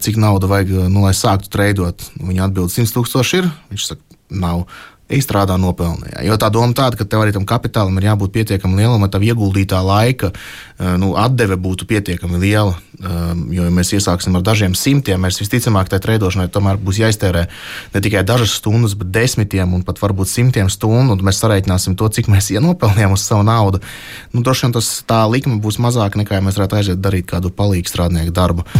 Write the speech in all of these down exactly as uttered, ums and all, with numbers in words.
cik nauda vajag, nu, lai sāktu treidot. Viņa atbild simts tūkstoši ir, viņš saka, nav. Izstrādā nopelnījā. Jo tā doma tāda, ka tev arī tam kapitālam ir jābūt pietiekami lielam, lai tav ieguldītā laika nu, atdeve būtu pietiekami liela. Jo, ja mēs iesāksim ar dažiem simtiem, mēs visticamāk tai treidošanai tomēr būs jāiztērē ne tikai dažas stundas, bet desmitiem un pat varbūt simtiem stundu, un mēs sareiķināsim to, cik mēs ienopelnījām uz savu naudu. Nu, droši vien tas tā likme būs mazāka, nekā ja mēs varētu aiziet darīt kādu palīgu strādnieku darbu.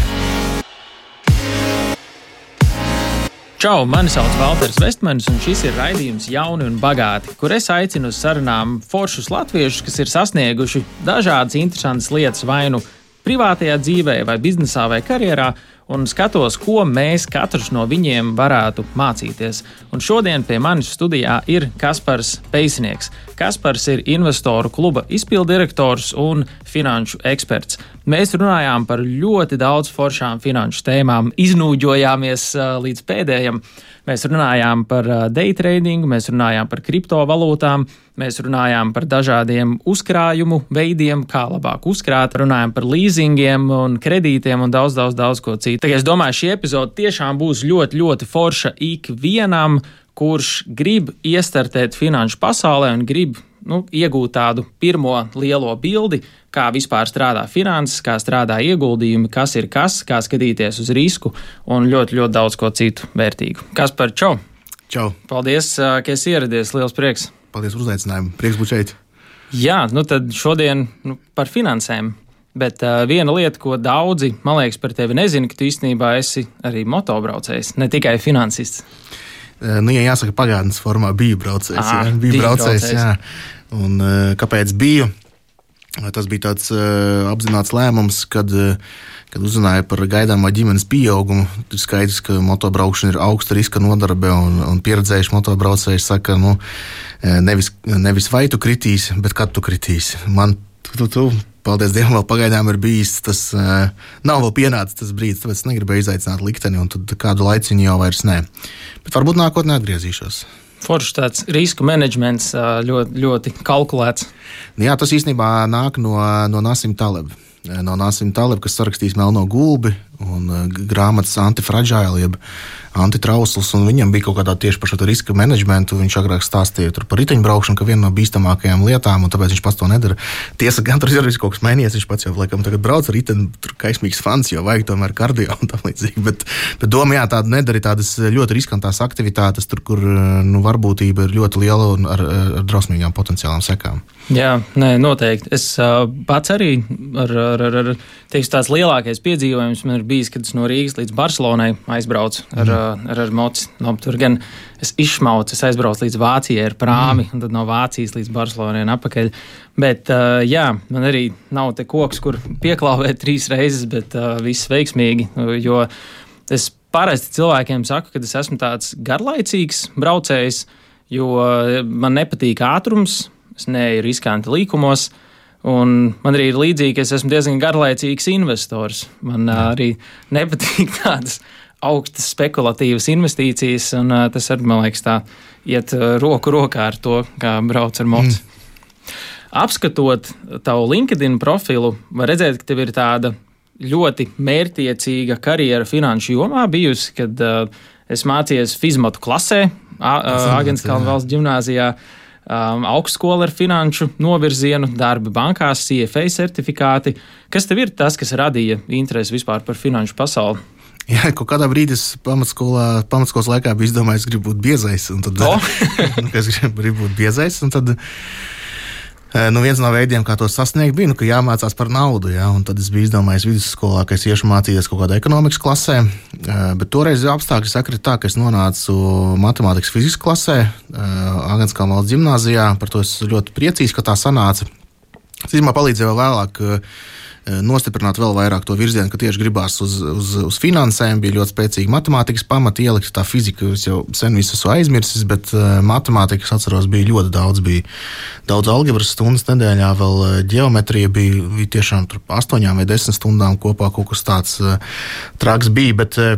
Čau, mani sauc Valters Vestmanis, un šis ir raidījums Jauni un bagāti, kur es aicinu uz sarunām foršus latviešus, kas ir sasnieguši dažādas interesantas lietas vai nu privātajā dzīvē, vai biznesā, vai karjerā, un skatos, ko mēs katrs no viņiem varētu mācīties. Un šodien pie manis studijā ir Kaspars Peisnieks. Kaspars ir investoru kluba izpildirektors un finanšu eksperts. Mēs runājām par ļoti daudz foršām finanšu tēmām, iznūģojāmies uh, līdz pēdējam. Mēs runājām par uh, day tradingu, mēs runājām par kriptovalūtām, mēs runājām par dažādiem uzkrājumu veidiem, kā labāk uzkrāt, runājām par līzingiem un kredītiem un daudz, daudz, daudz ko citu. Tā kā es domāju, šī epizode tiešām būs ļoti, ļoti forša ikvienam, kurš grib iestartēt finanšu pasaulē un grib nu, iegūt tādu pirmo lielo bildi, kā vispār strādā finanses, kā strādā ieguldījumi, kas ir kas, kā skatīties uz risku un ļoti, ļoti daudz ko citu vērtīgu. Kaspar, čau! Čau! Paldies, ka esi ieradies, liels prieks! Paldies par uzaicinājumu, prieks būt šeit! Jā, nu tad šodien nu, par finansēm. Bet uh, viena lieta, ko daudzi, man liekas, par tevi nezina, ka tu īstenībā esi arī motobraucējs, ne tikai finansists. Nu, ja jāsaka, pagātnes formā biju braucējs. À, jā, biju braucējs, braucējs. jā. Un kāpēc biju? Tas bija tāds uh, apzināts lēmums, kad, uh, kad uzzināju par gaidāmo ģimenes pieaugumu. Ir skaidrs, ka motobraukšana ir augsta riska nodarbe, un, un pieredzējuši motobraucēji saka, nu, nevis, nevis vai tu kritīsi, bet kad tu kritīsi. Man tu, tu, paldies Dievam, vēl pagaidām ir bijis tas, uh, nav vēl pienācis tas brīdis, tāpēc negribēju izaicināt likteni, un tad kādu laiciņu jau vairs nē. Bet varbūt nākotnē atgriezīšos. Forši tāds risku menedžments ļoti, ļoti kalkulēts. Jā, tas īstenībā nāk no, no Nasim Taleb. No Nasim Taleb, kas sarakstījis Melno gulbi un grāmatas Antifragile, jeb antitrausls, un viņam bija kaut kādā tieši par šo riska menedžmentu. Viņš agrāk stāstīja par riteņbraukšanu, ka viena no bīstamākajām lietām, un tāpēc viņš pats to nedara. Tiesa, gan tur ir kaut kas mainījies, viņš pats jau laikam tagad brauc ar riteni, tur kaismīgs fans, jo vajag tomēr kardio un tam līdzīgi. Bet, bet doma, jā, tāda nedara tādas ļoti riskantās aktivitātes, tur, kur nu, varbūtība ir ļoti liela un ar, ar drausmīgām potenciālām sekām. Jā, nē, noteikti. Es uh, pats arī ar, ar, ar, ar teikšu, tās lielākais piedzīvojums man ir bijis, kad es no Rīgas līdz Barcelonai aizbraucu ar, mm. ar, ar moci. No, tur gan es izšmaucu, es aizbraucu līdz Vācijai ar prāmi, mm. un tad no Vācijas līdz Barcelonai un apakaļ. Bet, uh, jā, man arī nav te koks, kur pieklauvēt trīs reizes, bet uh, viss veiksmīgi, jo es parasti cilvēkiem saku, ka es esmu tāds garlaicīgs braucējs, jo man nepatīk ātrums, es neeju riskanti līkumos, un man arī ir līdzīgi, ka es esmu diezgan garlaicīgs investors. Man uh, arī nepatīk tādas augstas spekulatīvas investīcijas, un uh, tas arī, man liekas, tā iet uh, roku rokā ar to, kā brauc ar moci. Mm. Apskatot tavu LinkedIn profilu, var redzēt, ka tev ir tāda ļoti mērķtiecīga karjera finanšu jomā bijusi, kad uh, es mācījies fizmatu klasē, Āgenskalna valsts ģimnāzijā, Um, augstskola ar finanšu novirzienu, darbi bankās, C F A certifikāti. Kas tev ir tas, kas radīja interesi vispār par finanšu pasauli? Jā, kaut kādā brīdī es pamatskolā, pamatskolas laikā biju izdomājis, ka gribu būt biezais. Un tad, oh. es gribu būt biezais, un tad nu, viens no veidiem, kā to sasniegt, bija, nu, ka jāmācās par naudu. Jā, un tad es biju izdomājis vidusskolā, ka es iešu mācīties kaut kādā ekonomikas klasē. Bet toreiz apstākļi sakrita tā, ka es nonācu matemātikas fizikas klasē Āgenskalna valsts ģimnāzijā. Par to es ļoti priecīgs, ka tā sanāca. Tas īstenībā palīdzēja vēl vēlāk nostiprināt vēl vairāk to virzienu, ka tieši gribās uz, uz, uz finansēm, bija ļoti spēcīga matemātikas pamata ielikt. Tā fizika es jau sen visu esmu aizmirsis, bet uh, matemātikas atceros bija ļoti daudz. Bija daudz algebras stundas nedēļā, vēl uh, ģeometrija bija, bija tiešām tur astoņām vai desmit stundām kopā kaut kas tāds uh, traks bija, bet uh,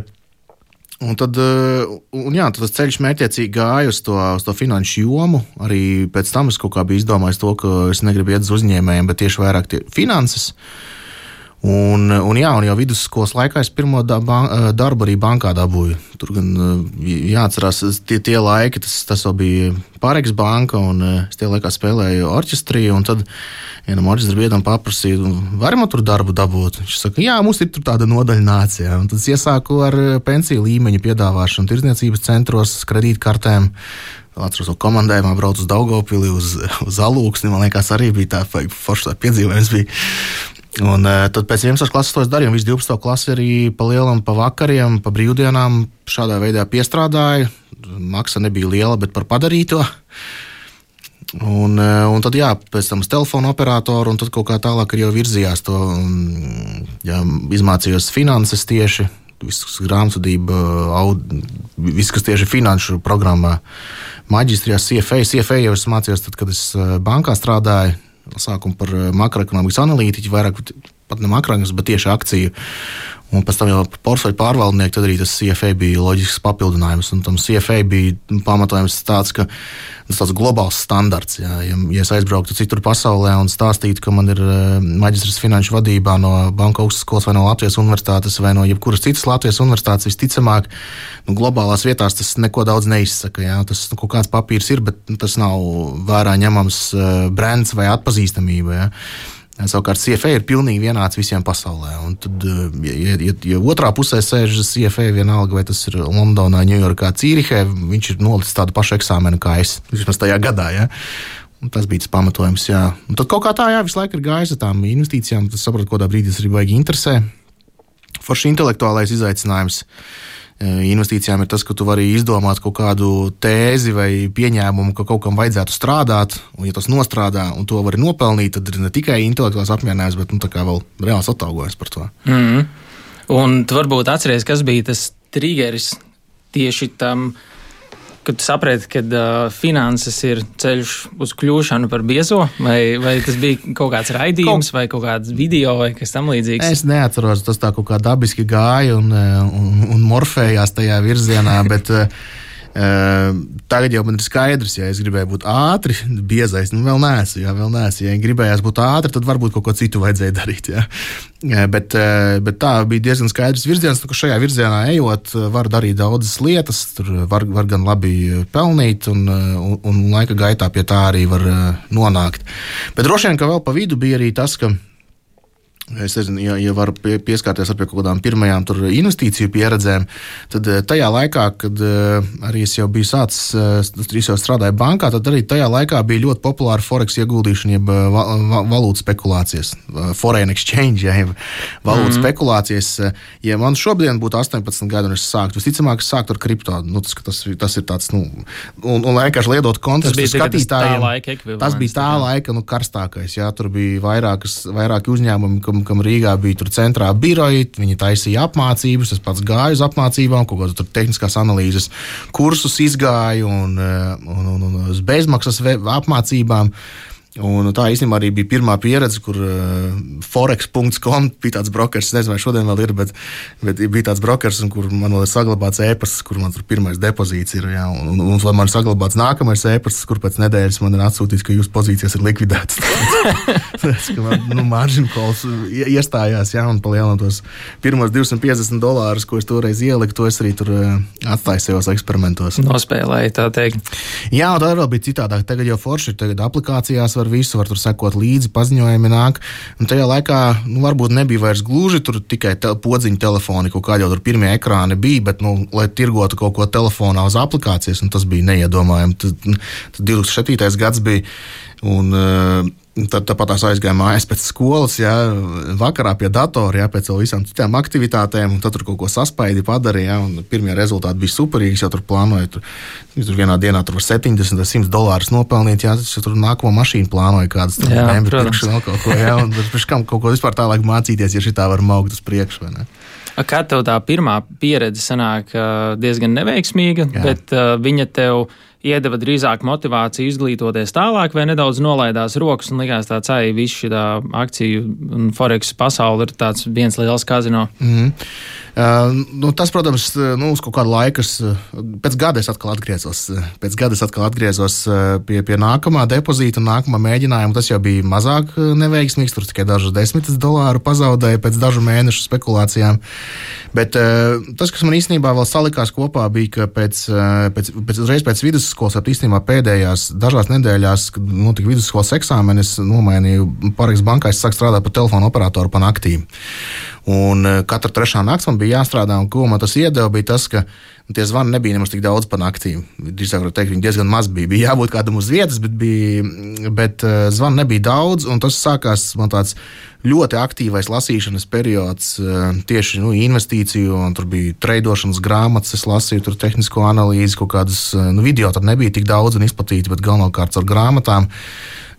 Un tad, un jā, tad tas ceļš mērķiecīgi gāja uz to, uz to finanšu jomu. Arī pēc tam es kaut kā biju izdomājis to, ka es negribu iet uz uzņēmējiem, bet tieši vairāk tie finanses. Un, un, jā, un jau vidusskolas laikā es pirmo da, ban, darbu arī bankā dabūju. Tur gan jāatcerās, tie, tie laiki, tas, tas vēl bija Pāreks banka, un es tie laikā spēlēju orķestrī, un tad vienam orķestra biedram paprasīju, vai man tur darbu dabūt? Viņš saka, jā, mums ir tur tāda nodaļa nācija. Un tad es iesāku ar pensiju līmeņa piedāvāšanu tirdzniecības centros, kredītkartēm. Atceros, ka komandējumā braucu uz Daugavpili, uz, uz Alūksni. Man liekas, arī bija tā forša piedzīvojums. Bija. Un tad pēc vienuoliktās klases to es darīju. Visu divpadsmito klasi arī pa lielam, pa vakariem, pa brīvdienām šādā veidā piestrādāju. Maksa nebija liela, bet par padarīto. Un, un tad, jā, pēc tam uz telefonu operatoru, un tad kaut kā tālāk arī jau virzījās to, jā, izmācījos finanses tieši. Viss grāmatvedība, viss, kas tieši finanšu programmā, maģistrijā, C F A. C F A jau es mācījos tad, kad es bankā strādāju, sākumu par makroekonomikas analītiķi, vairāk pat ne makroekonomikas, bet tieši akciju. Un pēc tam jau portfeļu pārvaldnieki, tad arī tas C F A bija loģisks papildinājums. Un tam C F A bija pamatojums tāds, ka tas tāds globāls standarts. Jā. Ja, ja es aizbrauktu citur pasaulē un stāstītu, ka man ir maģistrs finanšu vadībā no Banku augstskolas vai no Latvijas universitātes vai no jebkuras citas Latvijas universitātes, visticamāk, nu, globālās vietās tas neko daudz neizsaka. Jā. Tas nu, kaut kāds papīrs ir, bet nu, tas nav vērā ņemams brands vai atpazīstamība. Jā. Savukārt C F A ir pilnīgi vienāds visiem pasaulē. Un tad, ja, ja, ja otrā pusē sēž C F A vienalga, vai tas ir Londonā, Ņujorkā, Cīrihē, viņš ir nolicis tādu pašu eksāmenu kā es, vismaz tajā gadā. Ja? Un tas bija tas pamatojums. Jā. Un tad kaut kā tā, jā, visu laiku ir gājis ar tām investīcijām, tad sapratu, kādā brīdī tas arī baigi interesē. Forši intelektuālais izaicinājums investīcijām ir tas, ka tu vari izdomāt kaut kādu tēzi vai pieņēmumu, ka kaut kam vajadzētu strādāt, un ja tas nostrādā un to vari nopelnīt, tad ir ne tikai intelektuāls apmierinājums, bet nu, tā kā vēl reāls atalgojums par to. Mm. Un tu varbūt atceries, kas bija tas triggeris tieši tam, kad tu saprati, ka uh, finanses ir ceļš uz kļūšanu par biezo, vai, vai tas bija kaut kāds raidījums, kaut... vai kaut kāds video, vai kas tam līdzīgs? Es neatceros, tas tā kaut kā dabiski gāja un, un, un morfējās tajā virzienā, bet uh, tagad jau man ir skaidrs, ja es gribēju būt ātri, biezais, nu vēl neesmu, jā, vēl neesmu. Ja gribējās būt ātri, tad varbūt kaut ko citu vajadzēja darīt, jā. Bet, bet tā bija diezgan skaidrs virziens, ka šajā virzienā ejot, var darīt daudzas lietas, tur var, var gan labi pelnīt, un, un, un laika gaitā pie tā arī var nonākt. Bet droši vien, ka vēl pa vidu bija arī tas, ka es nezinu, ja, ja var pieskārties ar pie kaut kādām pirmajām tur investīciju pieredzēm, tad tajā laikā, kad arī es jau biju sācis, es jau strādāju bankā, tad arī tajā laikā bija ļoti populāra forex ieguldīšana, jeb valūtas spekulācijas, foreign exchange, ja, jeb valūtas mm-hmm. spekulācijas. Ja man šobrīd būtu astoņpadsmit gadi un es sāktu, visticamāk, es sāktu ar kripto, nu, tas, tas, tas ir tāds, nu, un, un vienkārši liedot kontekstu skatītājiem. Tas bija tā laika, nu, karstākais, jā, tur bija vairākas, vairāki uzņēmumi, kam, kam Rīgā bija tur centrā biroji, viņi taisīja apmācības, es pats gāju uz apmācībām, kaut kādu tur tehniskās analīzes kursus izgāju un, un, un, un uz bezmaksas apmācībām. Un tā īstenībā arī bija pirmā pieredze, kur uh, forex punkts com bija tāds brokers, nezinu, vai šodien vēl ir, bet, bet bija tāds brokers, un kur man vēl ir saglabāts e-pasts, kur man tur pirmais depozīts ir, jā, un, un, un man ir saglabāts nākamais e-pasts, kur pēc nedēļas man ir atsūtīts, ka jūsu pozīcijas ir likvidētas. Tas, ka man, nu, margin calls iestājās, jā, un palielināt tos pirmos divsimt piecdesmit dolārus, ko es toreiz ieliku, to es arī tur uh, atstāju sevos eksperimentos. Nospēlēju, tā teikt. Jā, un tā vēl bija citādāk. Tagad jau forši ir, tagad aplikācijās var visu, var tur sekot līdzi, paziņojumi nāk. Un tajā laikā, nu, varbūt nebija vairs gluži tur tikai te, podziņu telefoni, kaut kā jau tur pirmie ekrāni bija, bet, nu, lai tirgotu kaut ko telefonā uz aplikācijas, un tas bija neiedomājami. Tad, tad divtūkstoš septītais gads bija, un uh, tad tāpat tās aizgāja mājās pēc skolas, jā, vakarā pie datora, jā, pēc visām citām aktivitātēm, un tad tur kaut ko saspaidi padarīja, jā, un pirmie rezultāti bija superīgi, es jau tur plānoju, tur, tur vienā dienā tur var septiņdesmit vai simt dolārus nopelnīt, jā, es tur nākamo mašīnu plānoju kādas, tur bēmbi pirkšu vēl kaut ko, jā, un pēc kam kaut ko vispār tālāk mācīties, ja šitā var maukt uz priekšu, vai ne? Kā tev tā pirmā pieredze sanāk diezgan neveiksmīga, jā. bet uh, viņa tev iedeva drīzāk motivāciju izglītoties tālāk, vai nedaudz nolaidās rokas un likās tāds, ai, viss šī akciju un Forex pasauli ir tāds viens liels kazino? Mm-hmm. Uh, nu, tas, protams, nu, uz kaut kādu laiku, pēc gada es atkal atgriezos, pēc gada es atkal atgriezos pie, pie nākamā depozīta un nākamā mēģinājuma. Tas jau bija mazāk neveiksmīgs, tur tikai dažas desmitas dolāru pazaudēja pēc dažu mēnešu spekulācijām. Bet uh, tas, kas man īstenībā vēl salikās kopā, bija, ka pēc, pēc, pēc, reiz pēc vidusskolas, ap īstenībā pēdējās dažās nedēļās, kad notika vidusskolas eksāmeni, es nomainīju Parex bankā, es sāku strādāt par telefonu operatoru pa naktīm. Un katra trešā nakts man bija jāstrādā, un ko man tas iedeva, bija tas, ka tie zvani nebija nemaz tik daudz pa naktīm. Drīzāk var teikt, viņi diezgan maz bija. Bija jābūt kādam uz vietas, bet, bija, bet zvani nebija daudz, un tas sākās man tāds ļoti aktīvais lasīšanas periods, tieši nu, investīciju, un tur bija treidošanas grāmatas, es lasīju tur tehnisko analīzi, kaut kādas, nu, video tad nebija tik daudz un izplatīti, bet galvenokārt ar grāmatām.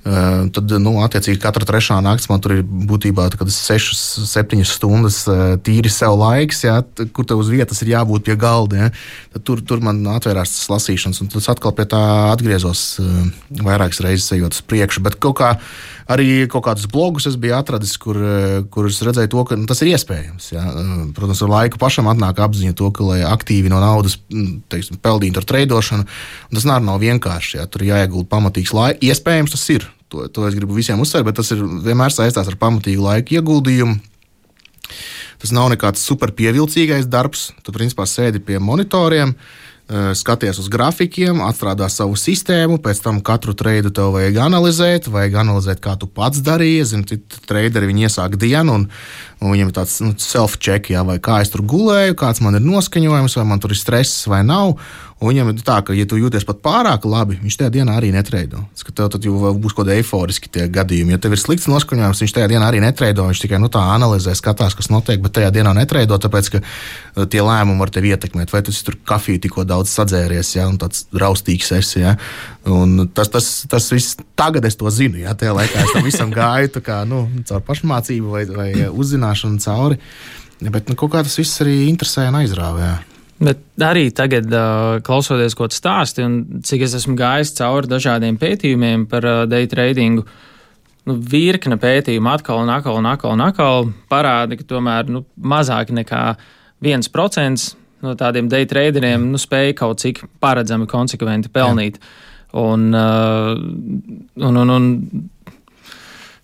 Uh, tad, nu, attiecīgi, katra trešā nakts man tur ir būtībā sešas, septiņas stundas uh, tīri sev laiks, jā, t- kur tev uz vietas ir jābūt pie galda. Jā. Tad tur, tur man atvērās tas lasīšanas, un tas atkal pie tā atgriezos uh, vairākas reizes ejot uz priekšu. Bet kaut kā arī kaut kādus blogus es biju atradis, kur, uh, kur es redzēju to, ka nu, tas ir iespējams. Jā. Uh, protams, ar laiku pašam atnāk apziņa to, ka, lai aktīvi no naudas teiksim, peldītu ar treidošanu, tas nav, nav vienkārši. Jā. Tur jāiegulda pamatīgs laiks. Iespējams, tas ir. To, to es gribu visiem uzsvērt, bet tas ir vienmēr saistās ar pamatīgu laiku ieguldījumu. Tas nav nekāds super pievilcīgais darbs. Tu principā sēdi pie monitoriem, skaties uz grafikiem, atstrādā savu sistēmu, pēc tam katru treidu tev vajag analizēt, vajag analizēt, kā tu pats darīji. Zini, citi treideri, viņi iesāk dienu, un, un viņiem ir tāds nu, self-check, jā, vai kā es tur gulēju, kāds man ir noskaņojums, vai man tur ir stress vai nav. Un viņam ir tā, ka, ja tu jūties pat pārāk labi, viņš tajā dienā arī netreido. Tas, ka tev tad jau būs kaut kādi eiforiski tie gadījumi. Ja tev ir slikts noskaņojums, viņš tajā dienā arī netreido. Viņš tikai nu, tā analizē, skatās, kas notiek, bet tajā dienā netreido, tāpēc, ka tie lēmumi var tevi ietekmēt. Vai tu tur kafiju tikko daudz sadzēries, ja, un tāds raustīgs esi. Ja. Un tas, tas, tas viss, tagad es to zinu. Ja. Tajā laikā es tam visam gāju tā kā, nu, caur pašmācību vai, vai uzzināšanu cauri. Bet nu, kaut kā tas viss arī interesē un aizrāva. Ja. Bet arī tagad, uh, klausoties, ko tu stāsti, un cik es esmu gājis cauri dažādiem pētījumiem par uh, day tradingu, nu, virkne pētījumu atkal un atkal un atkal un atkal parāda, ka tomēr nu, mazāk nekā viens procents no tādiem day traderiem nu, spēja kaut cik paredzami, konsekventi pelnīt. Un, uh, un, un, un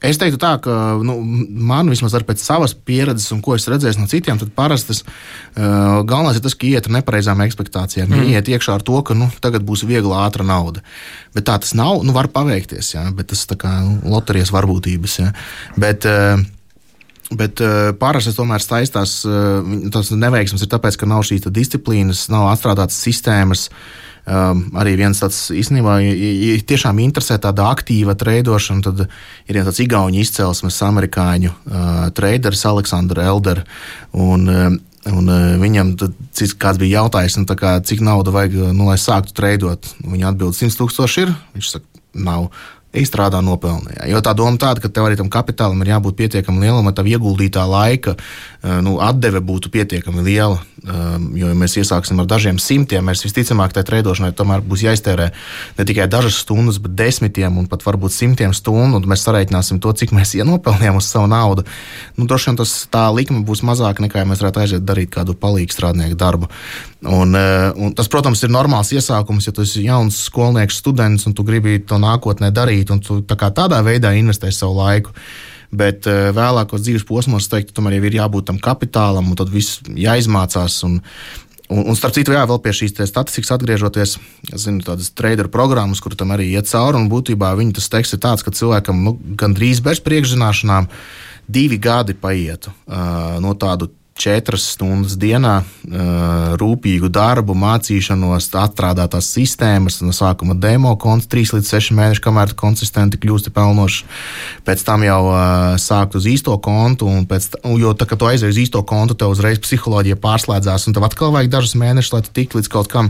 Es teiktu tā, ka nu, man vismaz ar pēc savas pieredzes un ko es redzēju no citiem, tad parasti tas uh, galvenais ir tas, ka iet ar nepareizām ekspektācijām. Mm. Iet iekšā ar to, ka nu, tagad būs viegla ātra nauda. Bet tā tas nav, nu var paveikties, jā, bet tas tā kā nu, loterijas varbūtības. Jā. Bet, uh, bet uh, parasti tomēr saistās, uh, tas neveiksmes ir tāpēc, ka nav šīs disciplīnas, nav atstrādātas sistēmas. Um, arī viens tāds īstenībā, ja, ja tiešām interesē tāda aktīva treidošana, tad ir viens tāds igauņu izcelsmes amerikāņu uh, treideris Aleksandrs Elder, un, uh, un uh, viņam tad, cik, kāds bija jautājis, nu, tā kā, cik nauda vajag, nu, lai sāktu treidot. Viņa atbild, simts tūkstoši ir, viņš saka, nav. Izstrādā nopelnījā. Jo tā doma tāda, ka tev arī tam kapitālam ir jābūt pietiekami lielam, lai tav ieguldītā laika nu, atdeve būtu pietiekami liela. Jo, ja mēs iesāksim ar dažiem simtiem, mēs visticamāk tai treidošanai tomēr būs jāiztērē ne tikai dažas stundas, bet desmitiem un pat varbūt simtiem stundu, un mēs sareiķināsim to, cik mēs ienopelnījām uz savu naudu. Nu, droši vien tas tā likme būs mazāka, nekā ja mēs varētu aiziet darīt kādu palīgu strādnieku darbu. Un, un tas, protams, ir normāls iesākums, ja tu esi jauns skolnieks, students, un tu gribi to nākotnē darīt, un tu tā kā tādā veidā investē savu laiku. Bet uh, vēlākos dzīves posmos, es teiktu, tomēr jau ir jābūt tam kapitālam, un tad viss jāizmācās. Un, un, un starp citu, jā, vēl pie šīs statistikas atgriežoties, es zinu, tādas traderu programmas, kur tam arī iet cauri, un būtībā viņa tas teksts ir tāds, ka cilvēkam nu, gandrīz bez priekšzināšanām divi gadi paietu uh, no tādu četras stundas dienā, rūpīgu darbu, mācīšanos, atstrādātās sistēmas, no sākuma demo konts, trīs līdz seši mēneši, kamēr tu konsistenti kļūsti pelnošs. Pēc tam jau sākt uz īsto kontu, un pēc, jo tā, kad tu aizēji uz īsto kontu, tev uzreiz psiholoģija pārslēdzās, un tev atkal vajag dažus mēnešus, lai tu tiktu līdz kaut kam.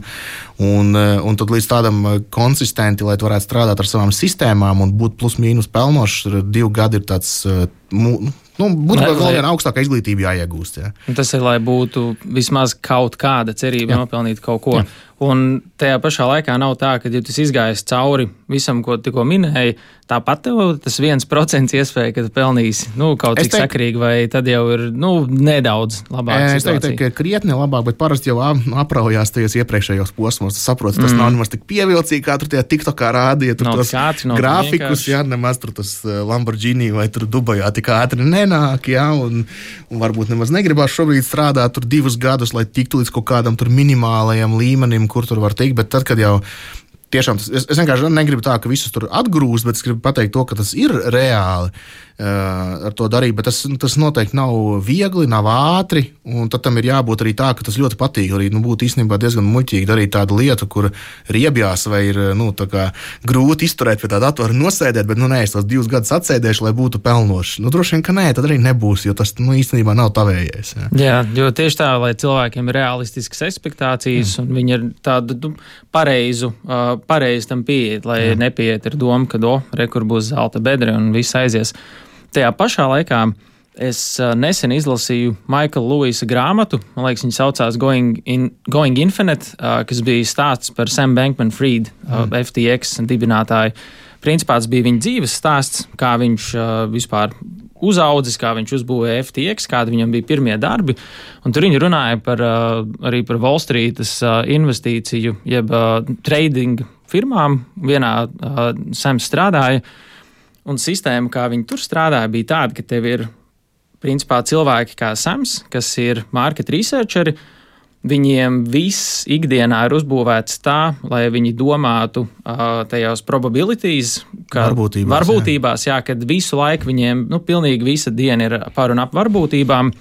Un, un tad līdz tādam konsistenti, lai tu varētu strādāt ar savām sistēmām un būt plus mīnus pelnošs, divi gadi ir tāds, nu, būtībā vēl viena augstākā izglītība jāiegūst. Jā. Tas ir, lai būtu vismaz kaut kāda cerība jā. Nopelnīt kaut ko. Jā. Un tajā pašā laikā nav tā, ka, ja tu izgājies cauri visam, ko tikko minēji, tāpat tev tas viens procents iespēja, ka tu pelnīsi nu, kaut cik teik... sakarīgi, vai tad jau ir nu, nedaudz labāk. Es teiktu, ka krietni labāk, bet parasti jau apraujās tajos iepriekšējos posmos. Tu saproti, tas mm. nav nemaz tik pievilcīgi, kā tur tie TikTokā rādīja, tur tos grafikus, jā, nemaz tur tas Lamborghini vai tur Dubajā tik ātri nenāk, jā, un, un varbūt nemaz negribās šobrīd strādāt tur divus gadus, lai tiktu līdz kaut kādam tur minimālajam līmenim, kur tur var tikt, bet tad, kad jau tiešām, es, es vienkārši negribu tā, ka visus tur atgrūst, bet es gribu pateikt to, ka tas ir reāli uh, ar to darīt, bet tas, tas noteikti nav viegli, nav ātri, un tad tam ir jābūt arī tā, ka tas ļoti patīk, arī nu, būtu īstenībā diezgan muļķīgi darīt tādu lietu, kur riebjās vai ir nu, tā kā grūti izturēt pie tā datora nosēdēt, bet nu nē, es tos divus gadus atsēdēšu, lai būtu pelnošs. Nu, droši vien, ka nē, tad arī nebūs, jo tas nu, īstenībā nav tavējais. Jā. jā, jo tieši tā, lai cilvēkiem ir realistiskas expektācijas, mm. un viņi ir tādu nu, pareizu, uh, pareizi tam pieiet, lai jā. Nepieiet ar domu, ka do, re, kur būs zelta bedre un viss aizies. Tajā pašā laikā es nesen izlasīju Maikla Lewisa grāmatu, man liekas, viņa saucās Going, in, Going Infinite, kas bija stāsts par Sam Bankman-Fried, mm. F T X dibinātāju. Principā tas bija viņa dzīves stāsts, kā viņš vispār uzaudzis, kā viņš uzbūvēja F T X, kādi viņam bija pirmie darbi, un tur viņi runāja par, arī par Wall Streetas investīciju, jeb trading firmām, vienā Sams strādāja, un sistēma, kā viņi tur strādāja, bija tāda, ka tev ir principā cilvēki kā Sams, kas ir market researcheri, viņiem viss ikdienā ir uzbūvēts tā, lai viņi domātu uh, tajās probabilities, kā varbūtībās, varbūtībās jā. Jā, kad visu laiku viņiem, nu, pilnīgi visa diena ir par un ap varbūtībām,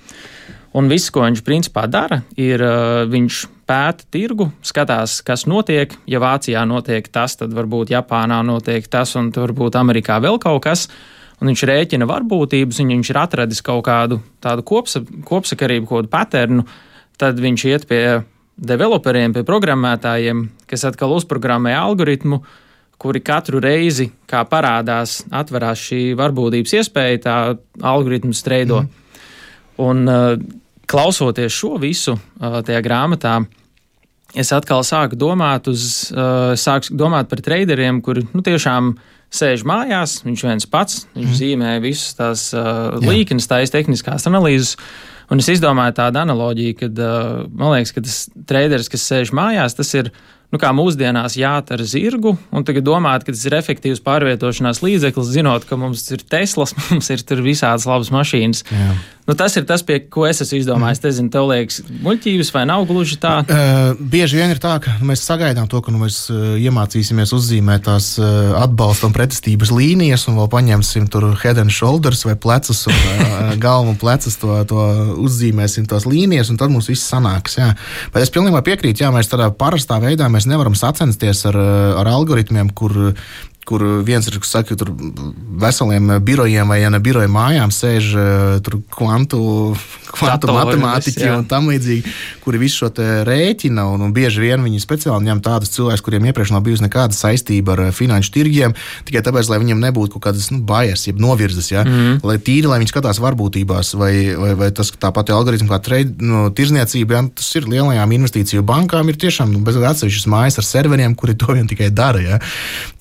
un viss, ko viņš principā dara, ir uh, viņš pēta tirgu, skatās, kas notiek, ja Vācijā notiek tas, tad varbūt Japānā notiek tas, un varbūt Amerikā vēl kaut kas, un viņš rēķina varbūtības, un viņš ir atradis kaut kādu tādu kopsa, kopsakarību, kaut kādu paternu, tad viņš iet pie developeriem, pie programmētājiem, kas atkal uzprogrammē algoritmu, kuri katru reizi, kā parādās, atverās šī varbūtības iespēja, tā algoritms streido. Mm. Un uh, klausoties šo visu uh, tajā grāmatā, es atkal sāku domāt, uz, uh, sāku domāt par traderiem, kuri nu, tiešām sēž mājās, viņš viens pats, viņš mm. zīmē visas tās uh, līknes, tās tehniskās analīzes. Un es izdomāju tādu analoģiju, kad uh, man liekas, ka tas treiders, kas sēž mājās, tas ir nu, kā mūsdienās jāt ar zirgu, un tagad domāt, ka tas ir efektīvs pārvietošanās līdzeklis, zinot, ka mums ir Teslas, mums ir tur visādas labas mašīnas. Jā. Nu, tas ir tas, pie ko es esmu izdomājis. Es nezinu, tev liekas muļķības vai nav gluži tā? Uh, bieži vien ir tā, ka mēs sagaidām to, ka nu, mēs uh, iemācīsimies uzzīmēt tās uh, atbalsta un pretestības līnijas, un vēl paņemsim tur head and shoulders vai plecus, un uh, galvu un plecus to, to uzzīmēsim tās līnijas, un tad mums viss sanāks. Jā. Bet es pilnībā piekrītu, jā, mēs tādā parastā veidā mēs nevaram sacensties ar, ar algoritmiem, kur kur viens ir, kas saka, tur veseliem birojiem vai ja ne biroja mājām sēž tur kvantu, kvantu matemātiķi un tam līdzīgi, kuri visu šo te rēķina, un, un bieži vien viņi speciāli ņem tādus cilvēkus, kuriem iepriekš nav bijusi nekāda saistība ar finanšu tirgiem, tikai tāpēc, lai viņiem nebūtu kaut kādas nu, bajas, jeb novirzes, ja? Mm-hmm. Lai tīri, lai viņi skatās varbūtībās, vai, vai, vai tas tāpat algoritmi kā trade, nu, tirzniecība, ja? Tas ir lielajām investīciju bankām, ir tiešām nu, bez atsevišķas mājas ar serveriem, kuri to vien tikai dara. Ja?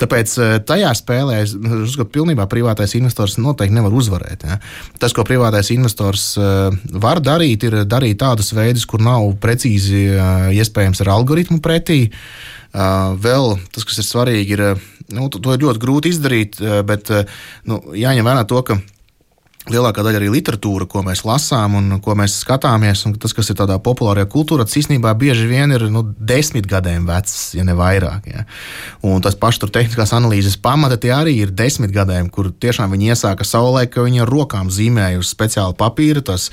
Tāpēc tajā spēlē, es uzskatu, pilnībā privātais investors noteikti nevar uzvarēt. Ja? Tas, ko privātais investors uh, var darīt, ir darīt tādus veidus, kur nav precīzi uh, iespējams ar algoritmu pretī. Uh, vēl tas, kas ir svarīgi, ir, nu, to, to ir ļoti grūti izdarīt, uh, bet uh, nu, jāņem vērā to, ka lielākā daļa arī literatūra, ko mēs lasām un ko mēs skatāmies, un tas, kas ir tādā populārajā kultūrā, tas īstenībā bieži vien ir nu, desmit gadiem vecs, ja ne vairāk. Ja. Un tas paši tur tehniskās analīzes pamata tie arī ir desmit gadiem, kur tiešām viņi iesāka saulē, ka viņi ar rokām zīmēja uz speciālu papīru, tas,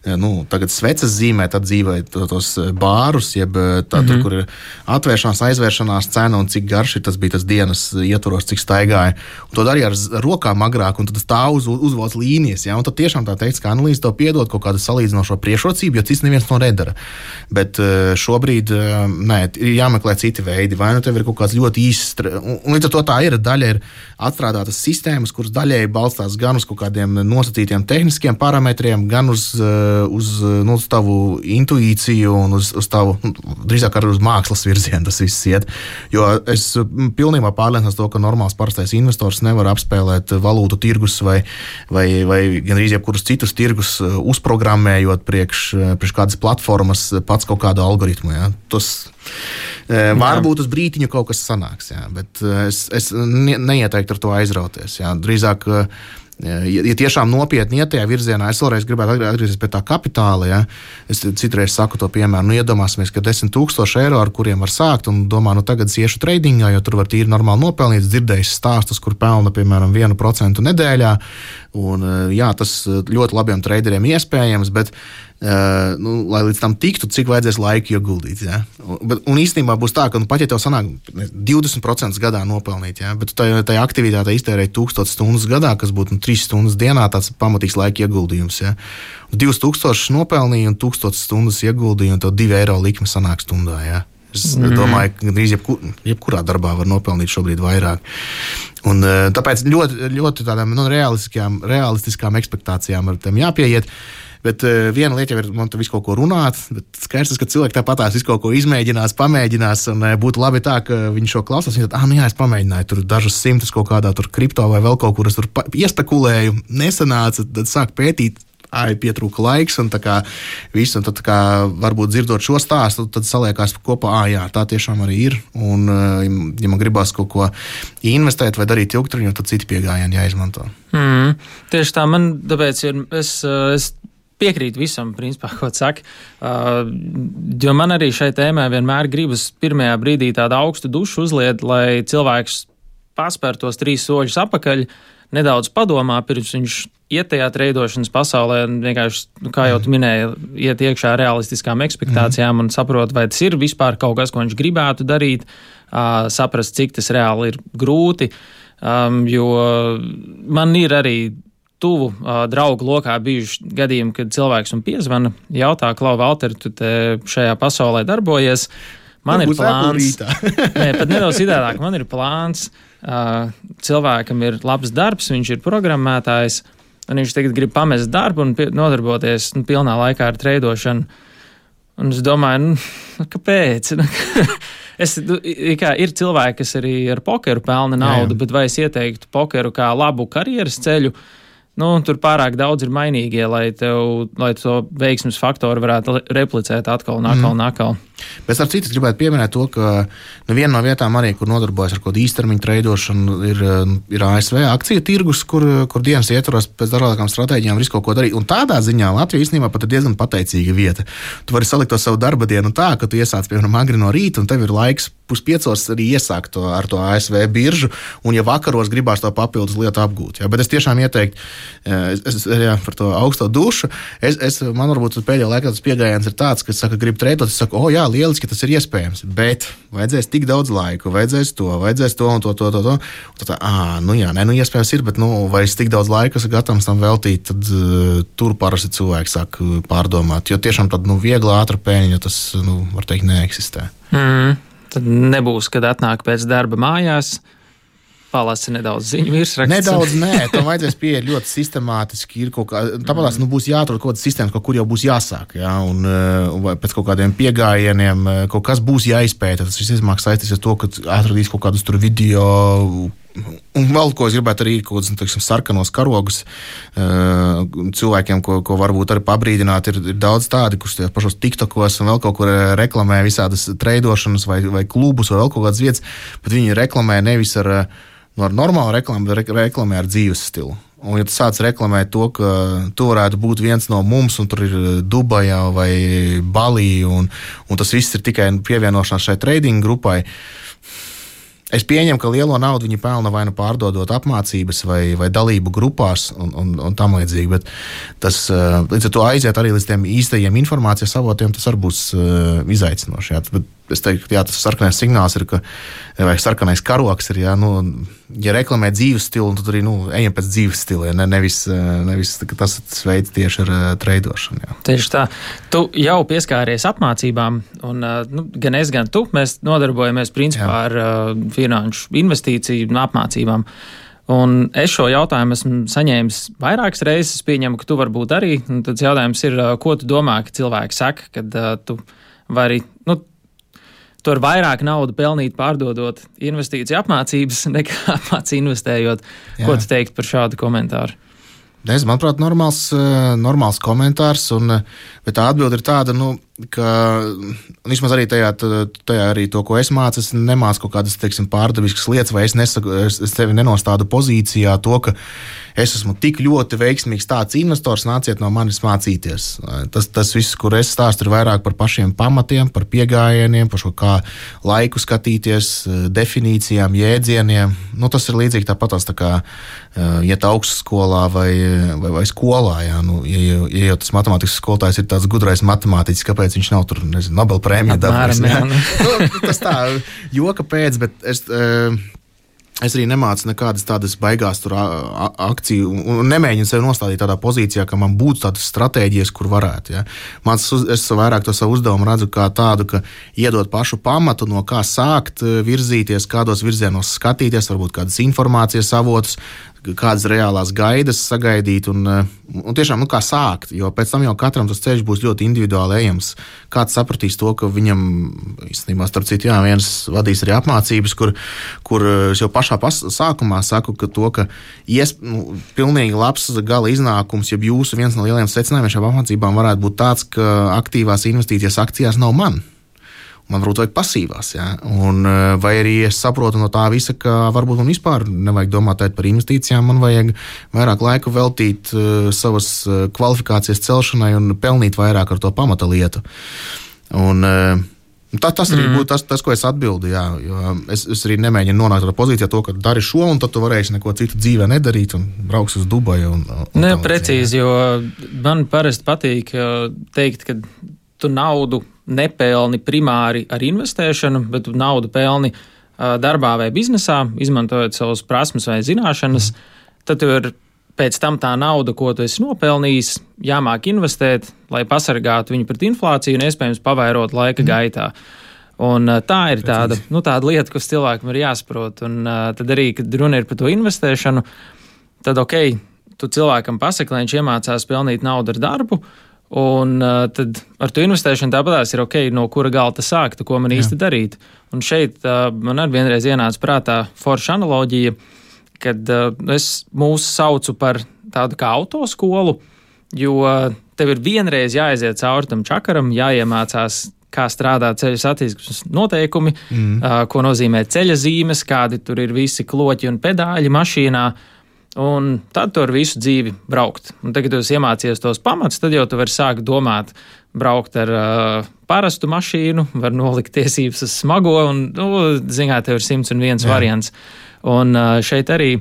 nu, tagad sveces zīmē, tad dzīvēja tos bārus, jeb tā, mm-hmm. tur, kur ir atvēršanās, aizvēršanās cena un cik garš ir, tas bija tas dienas ietvaros, cik staigāja. Un to darīja ar rokām agrāk, un tad tas tā uz, uzvalc līnijas. analīzi. Ja? Un tad tiešām tā tehniskā analīze tev piedod kaut kādu salīdzinošo priekšrocību, jo cits neviens to nedara. Bet šobrīd nē, ir jāmeklē citi veidi. Vai nu tev ir kaut kāds ļoti īsts, un, un līdz ar to tā ir daļa ir atstrādātas sistēmas, kuras daļēji balstās gan uz kaut kādiem nosacītiem tehniskiem parametriem, gan uz, uz, nu, uz tavu intuīciju un uz, uz tavu, nu, drīzāk arī uz mākslas virzienu tas viss iet. Jo es pilnībā pārliecināts to, ka normāls parastais investors nevar apspēlēt valūtu tirgus vai, vai, vai gandrīz jebkurus citus tirgus uzprogrammējot priekš, priekš kādas platformas pats kaut kādu algoritmu. Ja. Tas jā. Varbūt uz brītiņu kaut kas sanāks, jā, bet es, es neieteiktu ar to aizrauties. Jā. Drīzāk, ja tiešām nopietni iet tajā virzienā, es vēlreiz gribētu atgriezties pie tā kapitāla. Ja? Es citreiz saku to piemēru, nu iedomāsimies, ka desmit tūkstoši eiro, ar kuriem var sākt, un domā, nu tagad es iešu tradingā, jo tur var tīri normāli nopelnīt, dzirdējis stāstus, kur pelna, piemēram, vienu procentu nedēļā, un jā, tas ļoti labiem traderiem iespējams, bet Uh, nu, lai līdz tam tiktu, cik vajadzēs laika ieguldīt. Ja? Un, un īstenībā būs tā, ka nu, pat ja tev sanāk divdesmit procenti gadā nopelnīt, ja? Bet tajā, tajā aktivitātē iztērēt tūkstoš stundas gadā, kas būtu nu, trīs stundas dienā, tāds pamatīgs laika ieguldījums. Ja? divas tūkstošas nopelnīja un tūkstoš stundas ieguldīja, un tev divi eiro likme sanāk stundā. Ja? Es mm. domāju, ka drīz jebkur, jebkurā darbā var nopelnīt šobrīd vairāk. Un, tāpēc ļoti, ļoti tādām nu, realistiskām, realistiskām ekspektācijām ar tiem jāpieiet. Bet uh, viena lieta jau ir, man te visu kaut ko runāt, bet skaidrs, ka cilvēki tāpatās visu kaut ko izmēģinās, pamēģinās, un uh, būtu labi tā, ka viņi šo klausās, viņi tad, ah, nu jā, es pamēģināju tur dažus simtus kaut kādā tur kripto vai vēl kaut kur, es tur pa- iespekulēju, nesanāca, tad sāk pētīt, ai, pietrūka laiks, un tā kā viss, un tad tā kā varbūt dzirdot šo stāstu, tad saliekās kopā, ah, jā, tā tiešām arī ir, un uh, ja man gribās kaut ko investēt vai darīt ilgtermiņā, tad citi pieejami jāizmanto. Mm, tieši tā, man tāpēc ir, es, es piekrīt visam, principā, ko saka, uh, jo man arī šai tēmai vienmēr gribas pirmajā brīdī tādu augstu dušu uzliet, lai cilvēks paspēr tos trīs soļus apakaļ, nedaudz padomā, pirms viņš iet tajā treidošanas pasaulē, vienkārši, nu, kā jau tu minēji, iet iekšā realistiskām ekspektācijām mm. un saprot, vai tas ir vispār kaut kas, ko viņš gribētu darīt, uh, saprast, cik tas reāli ir grūti, um, jo man ir arī tuvu uh, draugu lokā bijuši gadījumi, kad cilvēks man piezvana, jautā, Klau, Valter, tu te šajā pasaulē darbojies, man ir plāns. Nē, pat nedaudz citādāk, man ir plāns, uh, cilvēkam ir labs darbs, viņš ir programmētājs, un viņš tagad grib pamest darbu un pie, nodarboties nu, pilnā laikā ar treidošanu. Un es domāju, nu, kāpēc? Es, kā, ir cilvēki, kas arī ar pokeru pelna naudu, jā, jā. Bet vai es ieteiktu pokeru kā labu karjeras ceļu? Nu, tur pārāk daudz ir mainīgie, lai, tev, lai to veiksmes faktoru varētu replicēt atkal un atkal un atkal. Bet ar citu gribētu pieminēt to, ka nu, viena no vietām arī, kur nodarbojas ar kaut kādu īstermiņu treidošanu, ir, ir A S V akciju tirgus, kur, kur dienas ietvaros pēc dažādām stratēģijām visu kaut ko darīt. Un tādā ziņā Latvija īstenībā pat ir diezgan pateicīga vieta. Tu vari salikt to savu darba dienu tā, ka tu iesāc, piemēram, agri no rīta, un tev ir laiks puspiecos arī iesākt to ar to A S V biržu, un ja vakaros gribās to papildus lietu apgūt. Ja? Bet es tiešām ieteiktu, es, es, jā, par to augsto dušu, es, es, man varbūt pēdējā laikā tas pieejams ir tāds, ka saka, grib treidot, es saku, o jā, lieliski, tas ir iespējams, bet vajadzēs tik daudz laiku, vajadzēs to, vajadzēs to un to, to, to, to. Un tad, ā, nu jā, nē, nu iespējams ir, bet, nu, vai es tik daudz laika esmu gatavs tam veltīt, tad uh, tur parasti cilvēki sāk pārdomāt, jo tiešām tad, nu, viegla ātra pēļņa, tas, nu, var teikt, neeksistē. Mm, tad nebūs, kad atnāk pēc darba mājās, palasi nedaudz ziņu virsraksts. Nedaudz, nē, tam vajadzēs pieiet ļoti sistemātiski. Ir kaut kā, tāpēc nu, būs jāatrod kaut kādas sistēmas, kaut kur jau būs jāsāk. Ja? Un, un pēc kaut kādiem piegājieniem kaut kas būs jāizpēta. Tas viss izmāk saistīts ar to, ka atradīs kaut kādus tur video. Un vēl ko es gribētu arī kaut kādus, teiksim, sarkanos karogus cilvēkiem, ko, ko varbūt arī pabrīdināt. Ir, ir daudz tādi, kurš tajos pašos TikTokos un vēl kaut kur reklamē visādas treidošanas vai, vai klubus vai vēl kaut kādas vietas, bet viņi reklamē nevis ar Nu, ar normālu reklāmu, bet reklamē ar dzīves stilu. Un, ja tu sāc reklamēt to, ka tu varētu būt viens no mums, un tur ir Dubajā vai Balī, un, un tas viss ir tikai pievienošanās šai trading grupai, es pieņemu, ka lielo naudu viņi pelna vai nu pārdodot apmācības vai, vai dalību grupās un, un, un tam līdzīgi, bet tas līdz ar to aiziet arī līdz tiem īstajiem informācijas avotiem, tas arī būs uh, izaicinoši. Jā. Bet es teiktu, ka jā, tas sarkanais signāls ir, ka, vai sarkanais karoks ir, jā, nu, ja reklamē dzīves stilu, tad arī, nu, ejam pēc dzīves stila, ja, ne, nevis, nevis tas veids tieši ar uh, treidošanu. Jā. Tieši tā. Tu jau pieskāries apmācībām, un uh, nu, gan es, gan tu, mēs nodarbojamies principā jā. ar uh, finanšu investīciju un apmācībām. Un es šo jautājumu esmu saņēmis vairākas reizes, pieņemu, ka tu varbūt arī. Un tad jautājums ir, ko tu domā, ka cilvēki saka, kad uh, tu vari, nu, tu ar vairāk naudu pelnīt pārdodot investīciju apmācības, nekā apmāci investējot. Jā. Ko tu teikt par šādu komentāru? Es, manuprāt, normāls, normāls komentārs, un, bet tā atbilde ir tāda, nu, ka vismaz arī tajā, tajā arī to, ko es mācu, es nemācu kaut kādas, teiksim, pārdaviskas lietas, vai es, nesaku, es, es tevi nenostādu pozīcijā to, ka es esmu tik ļoti veiksmīgs tāds investors, nāciet no manis mācīties. Tas, tas viss, kur es stāstu, ir vairāk par pašiem pamatiem, par piegājieniem, par šo kā laiku skatīties, definīcijām, jēdzieniem. Nu, tas ir līdzīgi tāpatās, tā kā iet augstskolā vai, vai, vai skolā. Jā. Nu, ja, ja jau tas matemātikas skolotājs ir tāds gudrais matemātiķis, kāpēc viņš nav tur, nezinu, Nobel prēmiju dabūjis. Nu, tas tā, joka pēc, bet es... Es arī nemācu nekādas tādas baigās tur akciju un nemēģinu sevi nostādīt tādā pozīcijā, ka man būtu tādas stratēģijas, kur varētu. Ja. Mans, es vairāk to savu uzdevumu redzu kā tādu, ka iedot pašu pamatu, no kā sākt virzīties, kādos virzienos skatīties, varbūt kādas informācijas avotus, kādas reālās gaidas sagaidīt un, un tiešām, nu, kā sākt, jo pēc tam jau katram tas ceļš būs ļoti individuāli ejams. Kāds sapratīs to, ka viņam, īstenībā, starp citu, jā, viens vadīs arī apmācības, kur, kur es jau pašā pas, sākumā saku, ka to, ka ies, nu, pilnīgi labs gala iznākums, ja jūsu viens no lielajiem secinājumiem šām apmācībām varētu būt tāds, ka aktīvās investīcijas akcijās nav man. Man varbūt vajag pasīvās, jā. Un, vai arī es saprotu no tā visa, ka varbūt man vispār nevajag domāt par investīcijām, man vajag vairāk laika veltīt uh, savas kvalifikācijas celšanai un pelnīt vairāk ar to pamata lietu. Un, uh, tā, tas arī mm. būtu tas, tas, ko es atbildu, jā, jo es, es arī nemēģinu nonākt tādā pozīcijā to, ka dari šo, un tad tu varēsi neko citu dzīvē nedarīt un brauks uz Dubaju. Un, un ne, precīzi, jo man parasti patīk teikt, ka tu naudu nepelni primāri ar investēšanu, bet tu naudu pelni uh, darbā vai biznesā, izmantojot savas prasmes vai zināšanas, mm. tad tu ir pēc tam tā nauda, ko tu esi nopelnījis, jāmāk investēt, lai pasargātu viņu pret inflāciju un iespējams pavairot laika mm. gaitā. Un uh, tā ir tāda, nu, tāda lieta, kas cilvēkam ir jāsaprot. Un uh, tad arī, kad runa ir par to investēšanu, tad ok, tu cilvēkam pasaki, lai viņš iemācās pelnīt naudu ar darbu, un uh, tad ar to investēšanu tāpatās ir ok, no kura galta sākt, ko man Jā. īsti darīt. Un šeit uh, man arī vienreiz ienāca prātā forša analoģija, kad uh, es mūs saucu par tādu kā autoskolu, jo tev ir vienreiz jāaiziet cauri tam čakaram, jāiemācās, kā strādā ceļa satiksmes noteikumi, mm. uh, ko nozīmē ceļa zīmes, kādi tur ir visi kloķi un pedāļi mašīnā. Un tad tu ar visu dzīvi braukt. Un tagad, kad tu iemācies tos pamats, tad jau tu vari sākt domāt, braukt ar uh, parastu mašīnu, var nolikt tiesības uz smago, un, nu, zināt, tev ir simts un viens Jā. variants. Un uh, šeit arī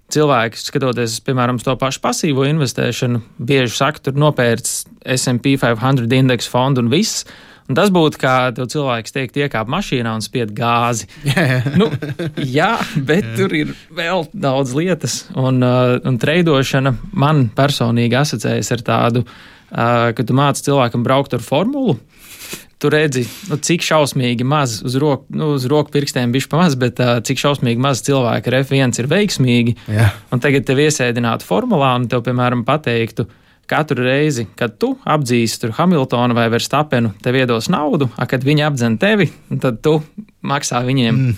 cilvēki, skatoties, piemēram, to pašu pasīvo investēšanu, bieži saka, tur nopērts S and P piecsimt indeksu fondu un viss. Un tas būtu, kā tev cilvēks teikt, iekāp mašīnā un spied gāzi. Yeah. Nu, jā, bet yeah. tur ir vēl daudz lietas. Un, uh, un treidošana man personīgi asociējas ar tādu, uh, ka tu māci cilvēkam braukt ar formulu. Tu redzi, nu, cik šausmīgi maz uz roku, nu, uz roku pirkstiem bišķi pamaz, bet uh, cik šausmīgi maz cilvēki ar F viens ir veiksmīgi. Yeah. Un tagad tev iesēdinātu formulā un tev, piemēram, pateiktu, katru reizi, kad tu apdzīsi tur Hamiltonu vai Verstapenu, tev iedos naudu, a, kad viņi apdzen tevi, tad tu maksā viņiem. Mm.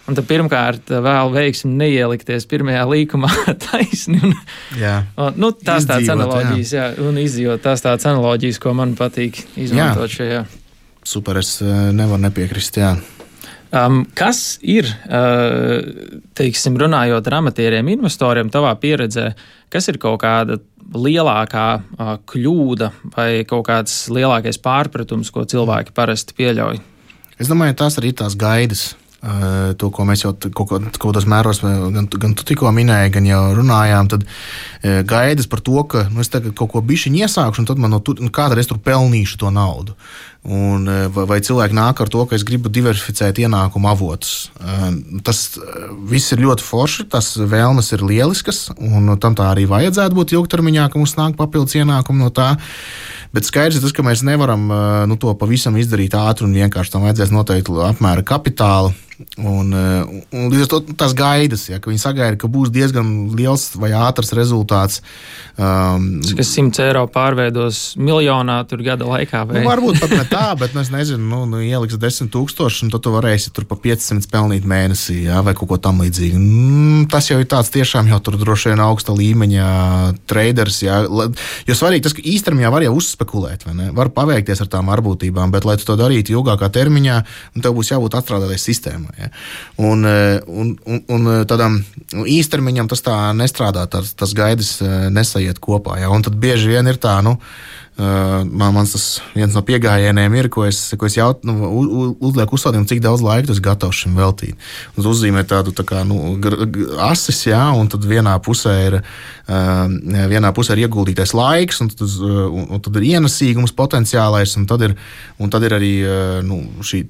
Un tad pirmkārt vēl veiksmi neielikties pirmajā līkumā taisni. Un, jā. Un, nu, tās tāds analoģijas, jā. jā, un izdzīvot tās tāds analoģijas, ko man patīk izmantot jā. šajā. Super, es nevaru nepiekrist, jā. Um, kas ir, uh, teiksim, runājot ar amatieriem investoriem, tavā pieredzē, kas ir kaut kāda lielākā uh, kļūda vai kaut kāds lielākais pārpratums, ko cilvēki parasti pieļauj? Es domāju, tās arī tās gaidas. Uh, to, ko mēs jau kaut kādos mēros gan, gan tu tikko minēji, gan jau runājām, tad uh, gaidas par to, ka nu, es tagad kaut ko bišķiņ iesākšu, un tad man no tur, nu, kā tad es tur pelnīšu to naudu. Un, vai, vai cilvēki nāk ar to, ka es gribu diversificēt ienākumu avotus. Tas viss ir ļoti forši, tas vēlmes ir lieliskas, un tam tā arī vajadzētu būt ilgtermiņā, ka mums nāk papildus ienākumu no tā. Bet skaidrs ir tas, ka mēs nevaram nu, to pavisam izdarīt ātri un vienkārši tam vajadzēs noteikti apmēra kapitāla. Un, un līdz ar to tas gaidas, ja, ka viņi sagaida, ka būs diezgan liels vai ātrs rezultāts. Um, kas simts eiro pārveidos miljonā tur gada laikā? Vai? Nu, varbūt pat ne tā, bet es nezinu, nu, nu ieliks desmit tūkstoši, un tad tu varēsi tur pa piecsimt pelnīt mēnesī, ja, vai kaut ko tam līdzīgi. Mm, tas jau ir tāds tiešām jau tur droši vien augsta līmeņa traders, ja. Jo svarīgi tas, ka īstermiņā var jau uzspekulēt, vai ne? Var paveikties ar tām varbūtībām, bet lai tu to darītu ilgākā termiņā, tev būs jābūt atstrādātai sistēmai. Ja. Un, un, un, un tādam īstermiņam tas tā nestrādā, tas, tas gaidas nesaiet kopā. Ja. Un tad bieži vien ir tā, nu, man, mans tas viens no piegājieniem ir, ko es, ko es jaut, nu, uzlieku uzstādījumu, cik daudz laika tu esi gatavs šim veltīt. Un uzzīmē tādu tā kā, nu, asis, ja, un tad vienā pusē ir, vienā pusē ir ieguldītais laiks, un tad, un, un tad ir ienesīgums potenciālais, un tad ir, un tad ir arī nu, šī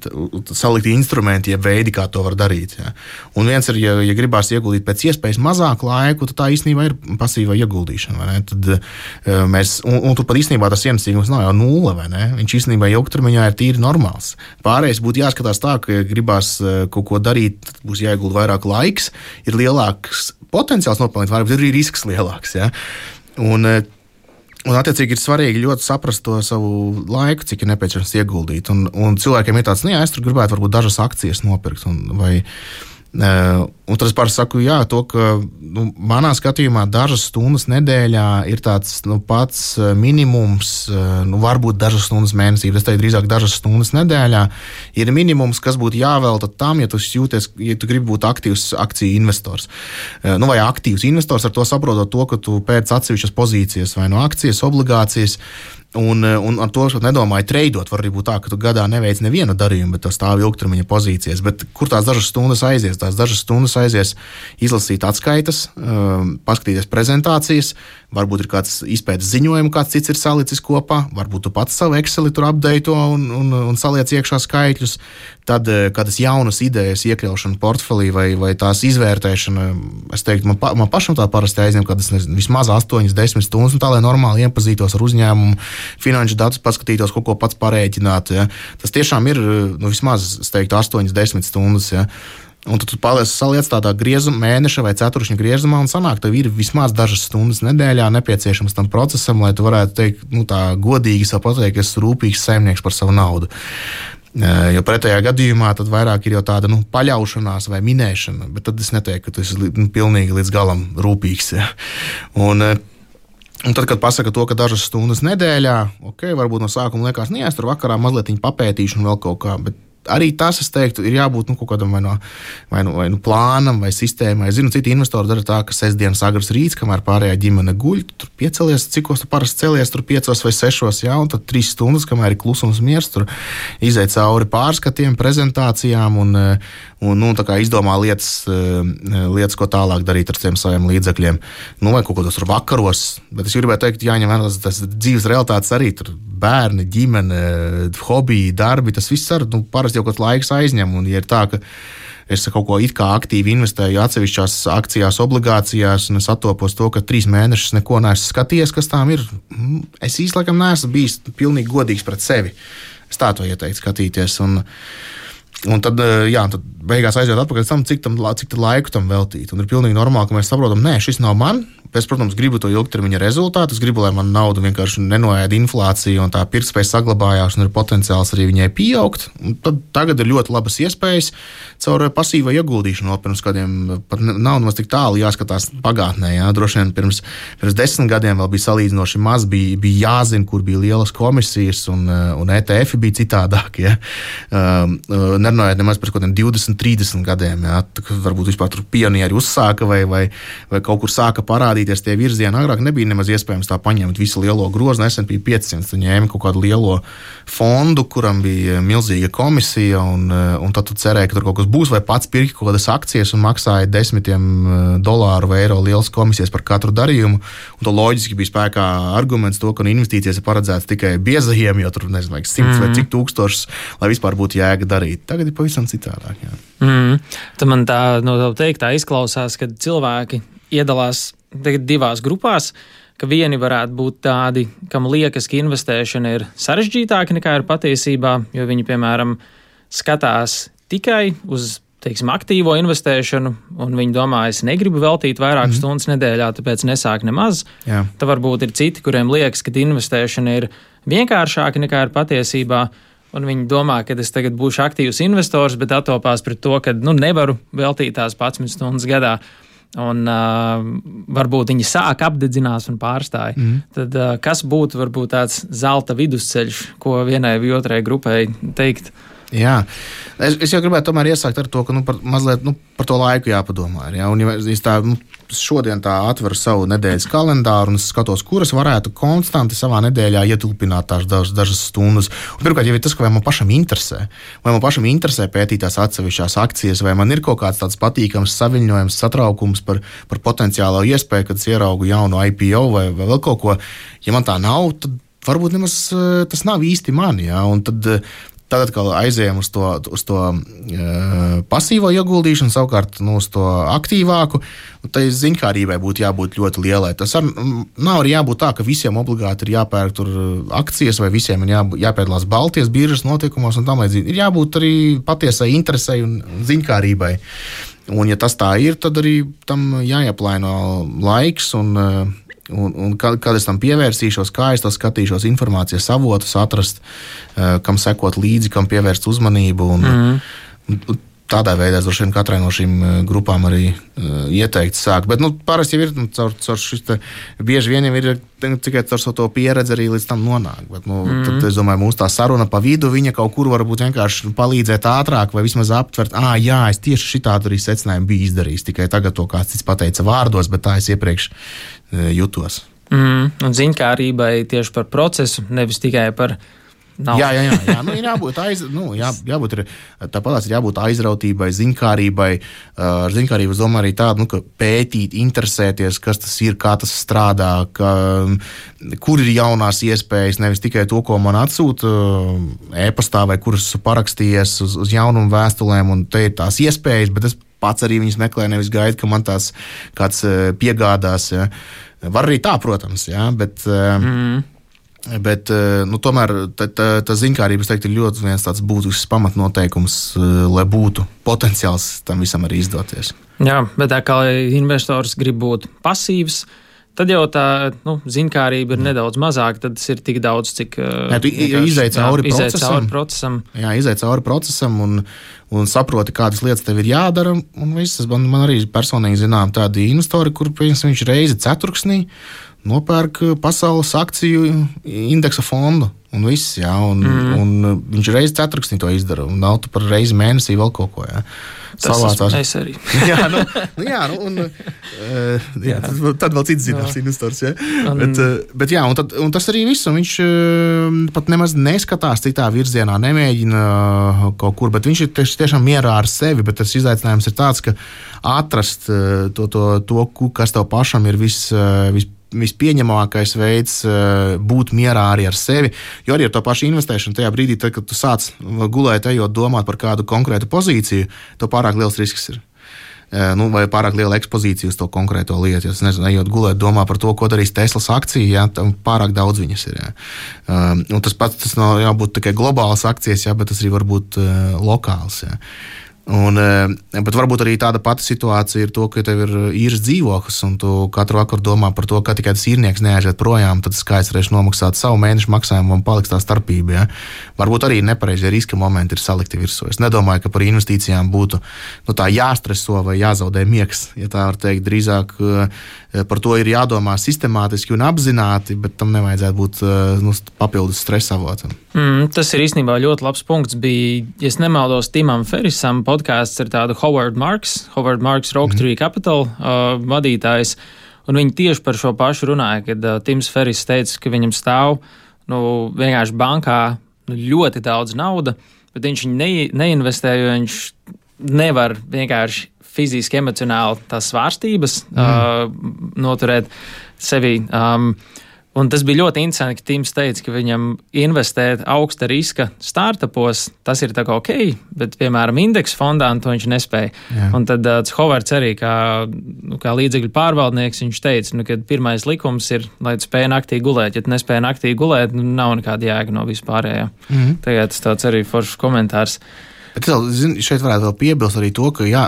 salikti instrumenti, jeb veidi, kā to var darīt. Ja. Un viens ir, ja, ja gribās ieguldīt pēc iespējas mazāk laiku, tad tā īstenībā ir pasīva ieguldīšana. Vai ne? Tad mēs, un, un tur pat īstenībā tas ienesīgums nav jau nulle, vai ne? Viņš īstenībā ilgtermiņā ir tīri normāls. Pārējais būtu jāskatās tā, ka gribās kaut ko darīt, tad būs jāiegulda vairāk laiks, ir lielāks potenciāls nopelnīt, varbūt ir arī risks lielāks. Ja? Un, un attiecīgi ir svarīgi ļoti saprast to savu laiku, cik ir nepieciešams ieguldīt. Un, un cilvēkiem ir tāds, nu jā, es tur gribētu varbūt dažas akcijas nopirkt, un, vai Uh, un tad es pāris saku, jā, to, ka nu, manā skatījumā dažas stundas nedēļā ir tāds nu, pats minimums, uh, nu, varbūt dažas stundas mēnesī, bet es teiktu drīzāk dažas stundas nedēļā ir minimums, kas būtu jāvelta tam, ja tu jūties, ja tu gribi būt aktīvs akciju investors. Uh, nu, vai aktīvs investors ar to saprotot to, ka tu pēc atsevišķas pozīcijas vai no akcijas, obligācijas. Un, un ar to nedomāju treidot. Var arī būt tā, ka tu gadā neveic nevienu darījumu, bet tu stāvi ilgtermiņa pozīcijas. Bet kur tās dažas stundas aizies? Tās dažas stundas aizies izlasīt atskaitas, paskatīties prezentācijas, varbūt ir kāds izpētes ziņojums, kāds cits ir salicis kopā, varbūt tu pats savu Exceli tur updateto un, un, un saliec iekšā skaitļus. Tad kādas jaunas idejas iekļaušana portfelī vai, vai tās izvērtēšana, es teiktu, man, pa, man pašam tā parasti aizņem, kad es nezinu, vismaz astoņas, desmit stundas, un tā, lai normāli iepazītos ar uzņēmumu, finanšu datus paskatītos, kaut ko pats parēķināt. Ja. Tas tiešām ir nu, vismaz, es teiktu, astoņas, desmit stundas. Ja. Un tad tu paliec saliec tādā griezuma, mēneša vai ceturkšņa griezumā, un sanāk, tev ir vismaz dažas stundas nedēļā nepieciešams tam procesam, lai tu varētu teikt, nu, tā godīgi savu pateikt, ka esi rūpīgs saimnieks par savu naudu. Jo pretējā gadījumā tad vairāk ir jau tāda nu, paļaušanās vai minēšana, bet tad es neteiktu, ka tu esi nu, pilnīgi līdz galam rūpīgs. Ja. Un, un tad, kad pasaka to, ka dažas stundas nedēļā, ok, varbūt no sākuma liekas, nu jā, es tur vakarā mazliet papētīšu un vēl kaut kā, bet arī tas, es teiktu, ir jābūt nu, kaut kādam vai no, vai no, vai no plānam vai sistēmai. Es zinu, citi investori dara tā, ka sestdienas agrs rīts, kamēr pārējā ģimene guļ, tu tur piecelies, cikos tu parasti celies, tur piecos vai sešos, jā, un tad trīs stundas, kamēr ir klusums miers, tur izēt cauri pārskatiem, prezentācijām un, un nu, tā kā izdomā lietas, lietas, ko tālāk darīt ar tiem saviem līdzekļiem. Nu, vai kaut ko tur vakaros, bet es gribētu teikt, jāņem vērā tas dzīves realitātes arī, tur bērni, ģimene, hobiji, darbi, tas viss ar, nu, parasti jau kaut laiks aizņem, un ja ir tā, ka es kaut ko it kā aktīvi investēju atsevišķās akcijās, obligācijās, un es attopos to, ka trīs mēnešus neko neesmu skatījies, kas tām ir, es īsti laikam neesmu bijis pilnīgi godīgs pret sevi. Es tā to ieteiktu skatīties, un, un tad, jā, tad beigās aiziet atpakaļ tam, cik, tam, cik laiku tam veltīt, un ir pilnīgi normāli, ka mēs saprotam, nē, šis nav man. Es, protams, gribu to ilgtermiņa rezultātu. Es gribu, lai man nauda vienkārši nenoēda inflācija un tā pirktspēja saglabājās un ir potenciāls arī viņai pieaugt. Un tad tagad ir ļoti labas iespējas caur pasīvo ieguldīšanu. Pirms kādiem pat nav nemaz tik tālu jāskatās pagātnē. Jā. Droši vien pirms, pirms desmit gadiem vēl bija salīdzinoši maz, bija, bija jāzina, kur bija lielas komisijas un, un E T F bija citādāk. Ja. nerunājot nemaz par kaut kādiem divdesmit, trīsdesmit gadiem, jā, varbūt vispār tur pionieri uzsāka vai, vai, vai kaut kur sāka parādīties tie virzieni. Agrāk nebija nemaz iespējams tā paņemt visu lielo grozu, S and P piecsimt, tu ņēmi kaut kādu lielo fondu, kuram bija milzīga komisija, un, un tad tu cerēji, ka tur kaut kas būs, vai pats pirki kaut kādas akcijas un maksāja desmitiem dolāru vai eiro lielas komisijas par katru darījumu, un to loģiski bija spēkā arguments to, ka investīcijas ir paredzētas tikai biezajiem, jo tur, nezinu, vajag simts mm. vai cik tūkstošus, lai vispār būtu jēga darīt. Tagad ir pavisam citādāk. Jā. Mm. Tad man tā, no tā teikt, tā izklausās, ka cilvēki iedalās divās grupās, ka vieni varētu būt tādi, kam liekas, ka investēšana ir sarežģītāka nekā ir patiesībā, jo viņi, piemēram, skatās tikai uz, teiksim, aktīvo investēšanu, un viņi domā, es negribu veltīt vairākas mm-hmm. stundas nedēļā, tāpēc nesāk nemaz. Jā. Tad varbūt ir citi, kuriem liekas, ka investēšana ir vienkāršāka nekā ir patiesībā, un viņi domā, ka es tagad būšu aktīvs investors, bet attopās pret to, ka nu, nevaru veltīt tās padsmit stundas gadā. Un uh, varbūt viņi sāk apdedzinās un pārstāja. Mm. Tad uh, kas būtu varbūt tāds zelta vidusceļš, ko vienai vai otrai grupai teikt? Jā, es, es jau gribētu tomēr iesākt ar to, ka nu, par, mazliet, nu, par to laiku jāpadomā. Ja? Un, ja es tā, nu, šodien tā atveru savu nedēļas kalendāru un es skatos, kuras varētu konstanti savā nedēļā ietilpināt tās dažas, dažas stundas. Un, pirmkārt, jau ir tas, ka vai man pašam interesē, vai man pašam interesē pētīt tās atsevišķās akcijas, vai man ir kaut kāds tāds patīkams saviņojums, satraukums par, par potenciālo iespēju, kad es ieraugu jaunu I P O vai, vai vēl kaut ko. Ja man tā nav, tad varbūt nemaz tas nav īsti mani. Ja? Un tad Tad atkal aizējām uz to, uz to uh, pasīvo ieguldīšanu, savukārt nu, uz to aktīvāku. Tai ziņkārībai būtu jābūt ļoti lielai. Tas ar, nav arī jābūt tā, ka visiem obligāti ir jāpērk tur akcijas vai visiem ir jābūt, jāpiedalās Baltijas biržas notikumos un tam līdzīgi. Ir jābūt arī patiesai interesei un ziņkārībai. Un ja tas tā ir, tad arī tam jāieplāno laiks un uh, Un, un kad, kad es tam pievērsīšos, kā es to skatīšos, informācijas avotus atrast, uh, kam sekot līdzi, kam pievērst uzmanību. Un, mm. un, un tādā veidā es droši vien katrai no šīm grupām arī uh, ieteikti sāk. Bet nu, parasti jau ir nu, caur, caur šis te, bieži vien jau ir tikai caur savu to pieredzi arī līdz tam nonāk. Bet, nu, mm. tad, es domāju, mūsu tā saruna pa vidu, viņa kaut kur varbūt vienkārši palīdzēt ātrāk vai vismaz aptvert, ā, jā, es tieši šitādu arī secinājumu biju izdarījis, tikai tagad to kāds cits pateica vārdos, bet tā es iepriekš uh, jutos. Mm. Un ziņkārībai tieši par procesu, nevis tikai par nav. Jā, jā, jā, jā. Nu, ir jābūt, aiz, nu, jā, jābūt tāpatās ir jābūt aizrautībai, ziņkārībai. Ar ziņkārību es domāju arī tādu, nu, ka pētīt, interesēties, kas tas ir, kā tas strādā, ka, kur ir jaunās iespējas, nevis tikai to, ko man atsūta e-pastā vai kuras parakstījies uz, uz jaunumu vēstulēm, un te ir tās iespējas, bet es pats arī viņas meklēju, nevis gaidu, ka man tās kāds piegādās. Ja. Var arī tā, protams, ja, bet... Mm. Bet, nu, tomēr tā, tā, tā ziņkārība, es teiktu, ir ļoti viens tāds būtisks pamatnoteikums, lai būtu potenciāls tam visam arī izdoties. Jā, bet tā kā investors grib būt pasīvs, tad jau tā nu, ziņkārība ir nedaudz mazāka, tad tas ir tik daudz, cik... Jā, tu izej cauri procesam. procesam. Jā, izej cauri procesam un, un saproti, kādas lietas tev ir jādara. Un viss, man, man arī personīgi zinām tādi investori, kur viņš reizi ceturksnī nopērk pasaules akciju indeksa fondu un viss, jā, un, mm. un viņš reizi ceturksnī to izdara, un nav tu par reizi mēnesī vēl kaut ko, jā. Tas es arī. jā, nu, nu, jā, nu, un, uh, jā, tad, tad vēl cits zināms investors, jā. Un, bet, uh, bet jā, un, tad, un tas arī viss, un viņš uh, pat nemaz neskatās citā virzienā, nemēģina uh, kaut kur, bet viņš ir tieši, tiešām mierā ar sevi, bet tas izaicinājums ir tāds, ka atrast uh, to, to, to, kas tev pašam ir vis, uh, vis vispieņemamākais veids būt mierā arī ar sevi, jo arī ar to pašu investēšanu tajā brīdī, tad, kad tu sāc gulēt, ejot domāt par kādu konkrētu pozīciju, to pārāk liels risks ir. Nu, vai pārāk liela ekspozīcija uz to konkrēto lietu. Es nezinu, ejot gulēt, domā par to, ko darīs Teslas akcija, jā, tam pārāk daudz viņas ir. Jā. Un tas pats, tas nav jābūt tikai globālas akcijas, jā, bet tas arī var būt lokāls. Jā. Un, bet varbūt arī tāda pati situācija ir to, ka tev ir īres dzīvoklis un tu katru vakaru domā par to, ka tikai tas īrnieks neaiziet projām, tad skaits varēs nomaksāt savu mēnešu maksājumu un paliks tā starpība. Ja? Varbūt arī nepareizie riska momenti ir salikti virsū. Es nedomāju, ka par investīcijām būtu nu, tā jāstreso vai jāzaudē miegs, ja tā var teikt. Drīzāk par to ir jādomā sistemātiski un apzināti, bet tam nevajadzētu būt nu, papildus stresa avotam. Mm, tas ir īstenībā ļoti labs punkts. Bija, ja es nemaldos, Timam Ferrisam podkāsts ar tādu Howard Marks, Howard Marks Rock Tree mm. Capital uh, vadītājs, un viņi tieši par šo pašu runāja, kad uh, Tims Ferris teica, ka viņam stāv nu, vienkārši bankā nu, ļoti daudz nauda, bet viņš viņu ne, neinvestē, jo viņš nevar vienkārši fiziski, emocionāli tās svārstības mm. uh, noturēt sevi. Um, un tas bija ļoti interesanti, ka Tims teica, ka viņam investēt augsta riska startupos, tas ir tā kā ok, bet, piemēram, indeksu fondā to viņš nespēja. Jā. Un tad uh, Hovards arī, kā, nu, kā līdzekļu pārvaldnieks, viņš teica, nu, ka pirmais likums ir, lai tu spēj naktī gulēt. Ja tu nespēj naktī gulēt, nu, nav nekāda jēga no vispārējā. Mm. Tagad tas tāds arī foršs komentārs. Bet zin, šeit varētu vēl piebilst arī to, ka jā,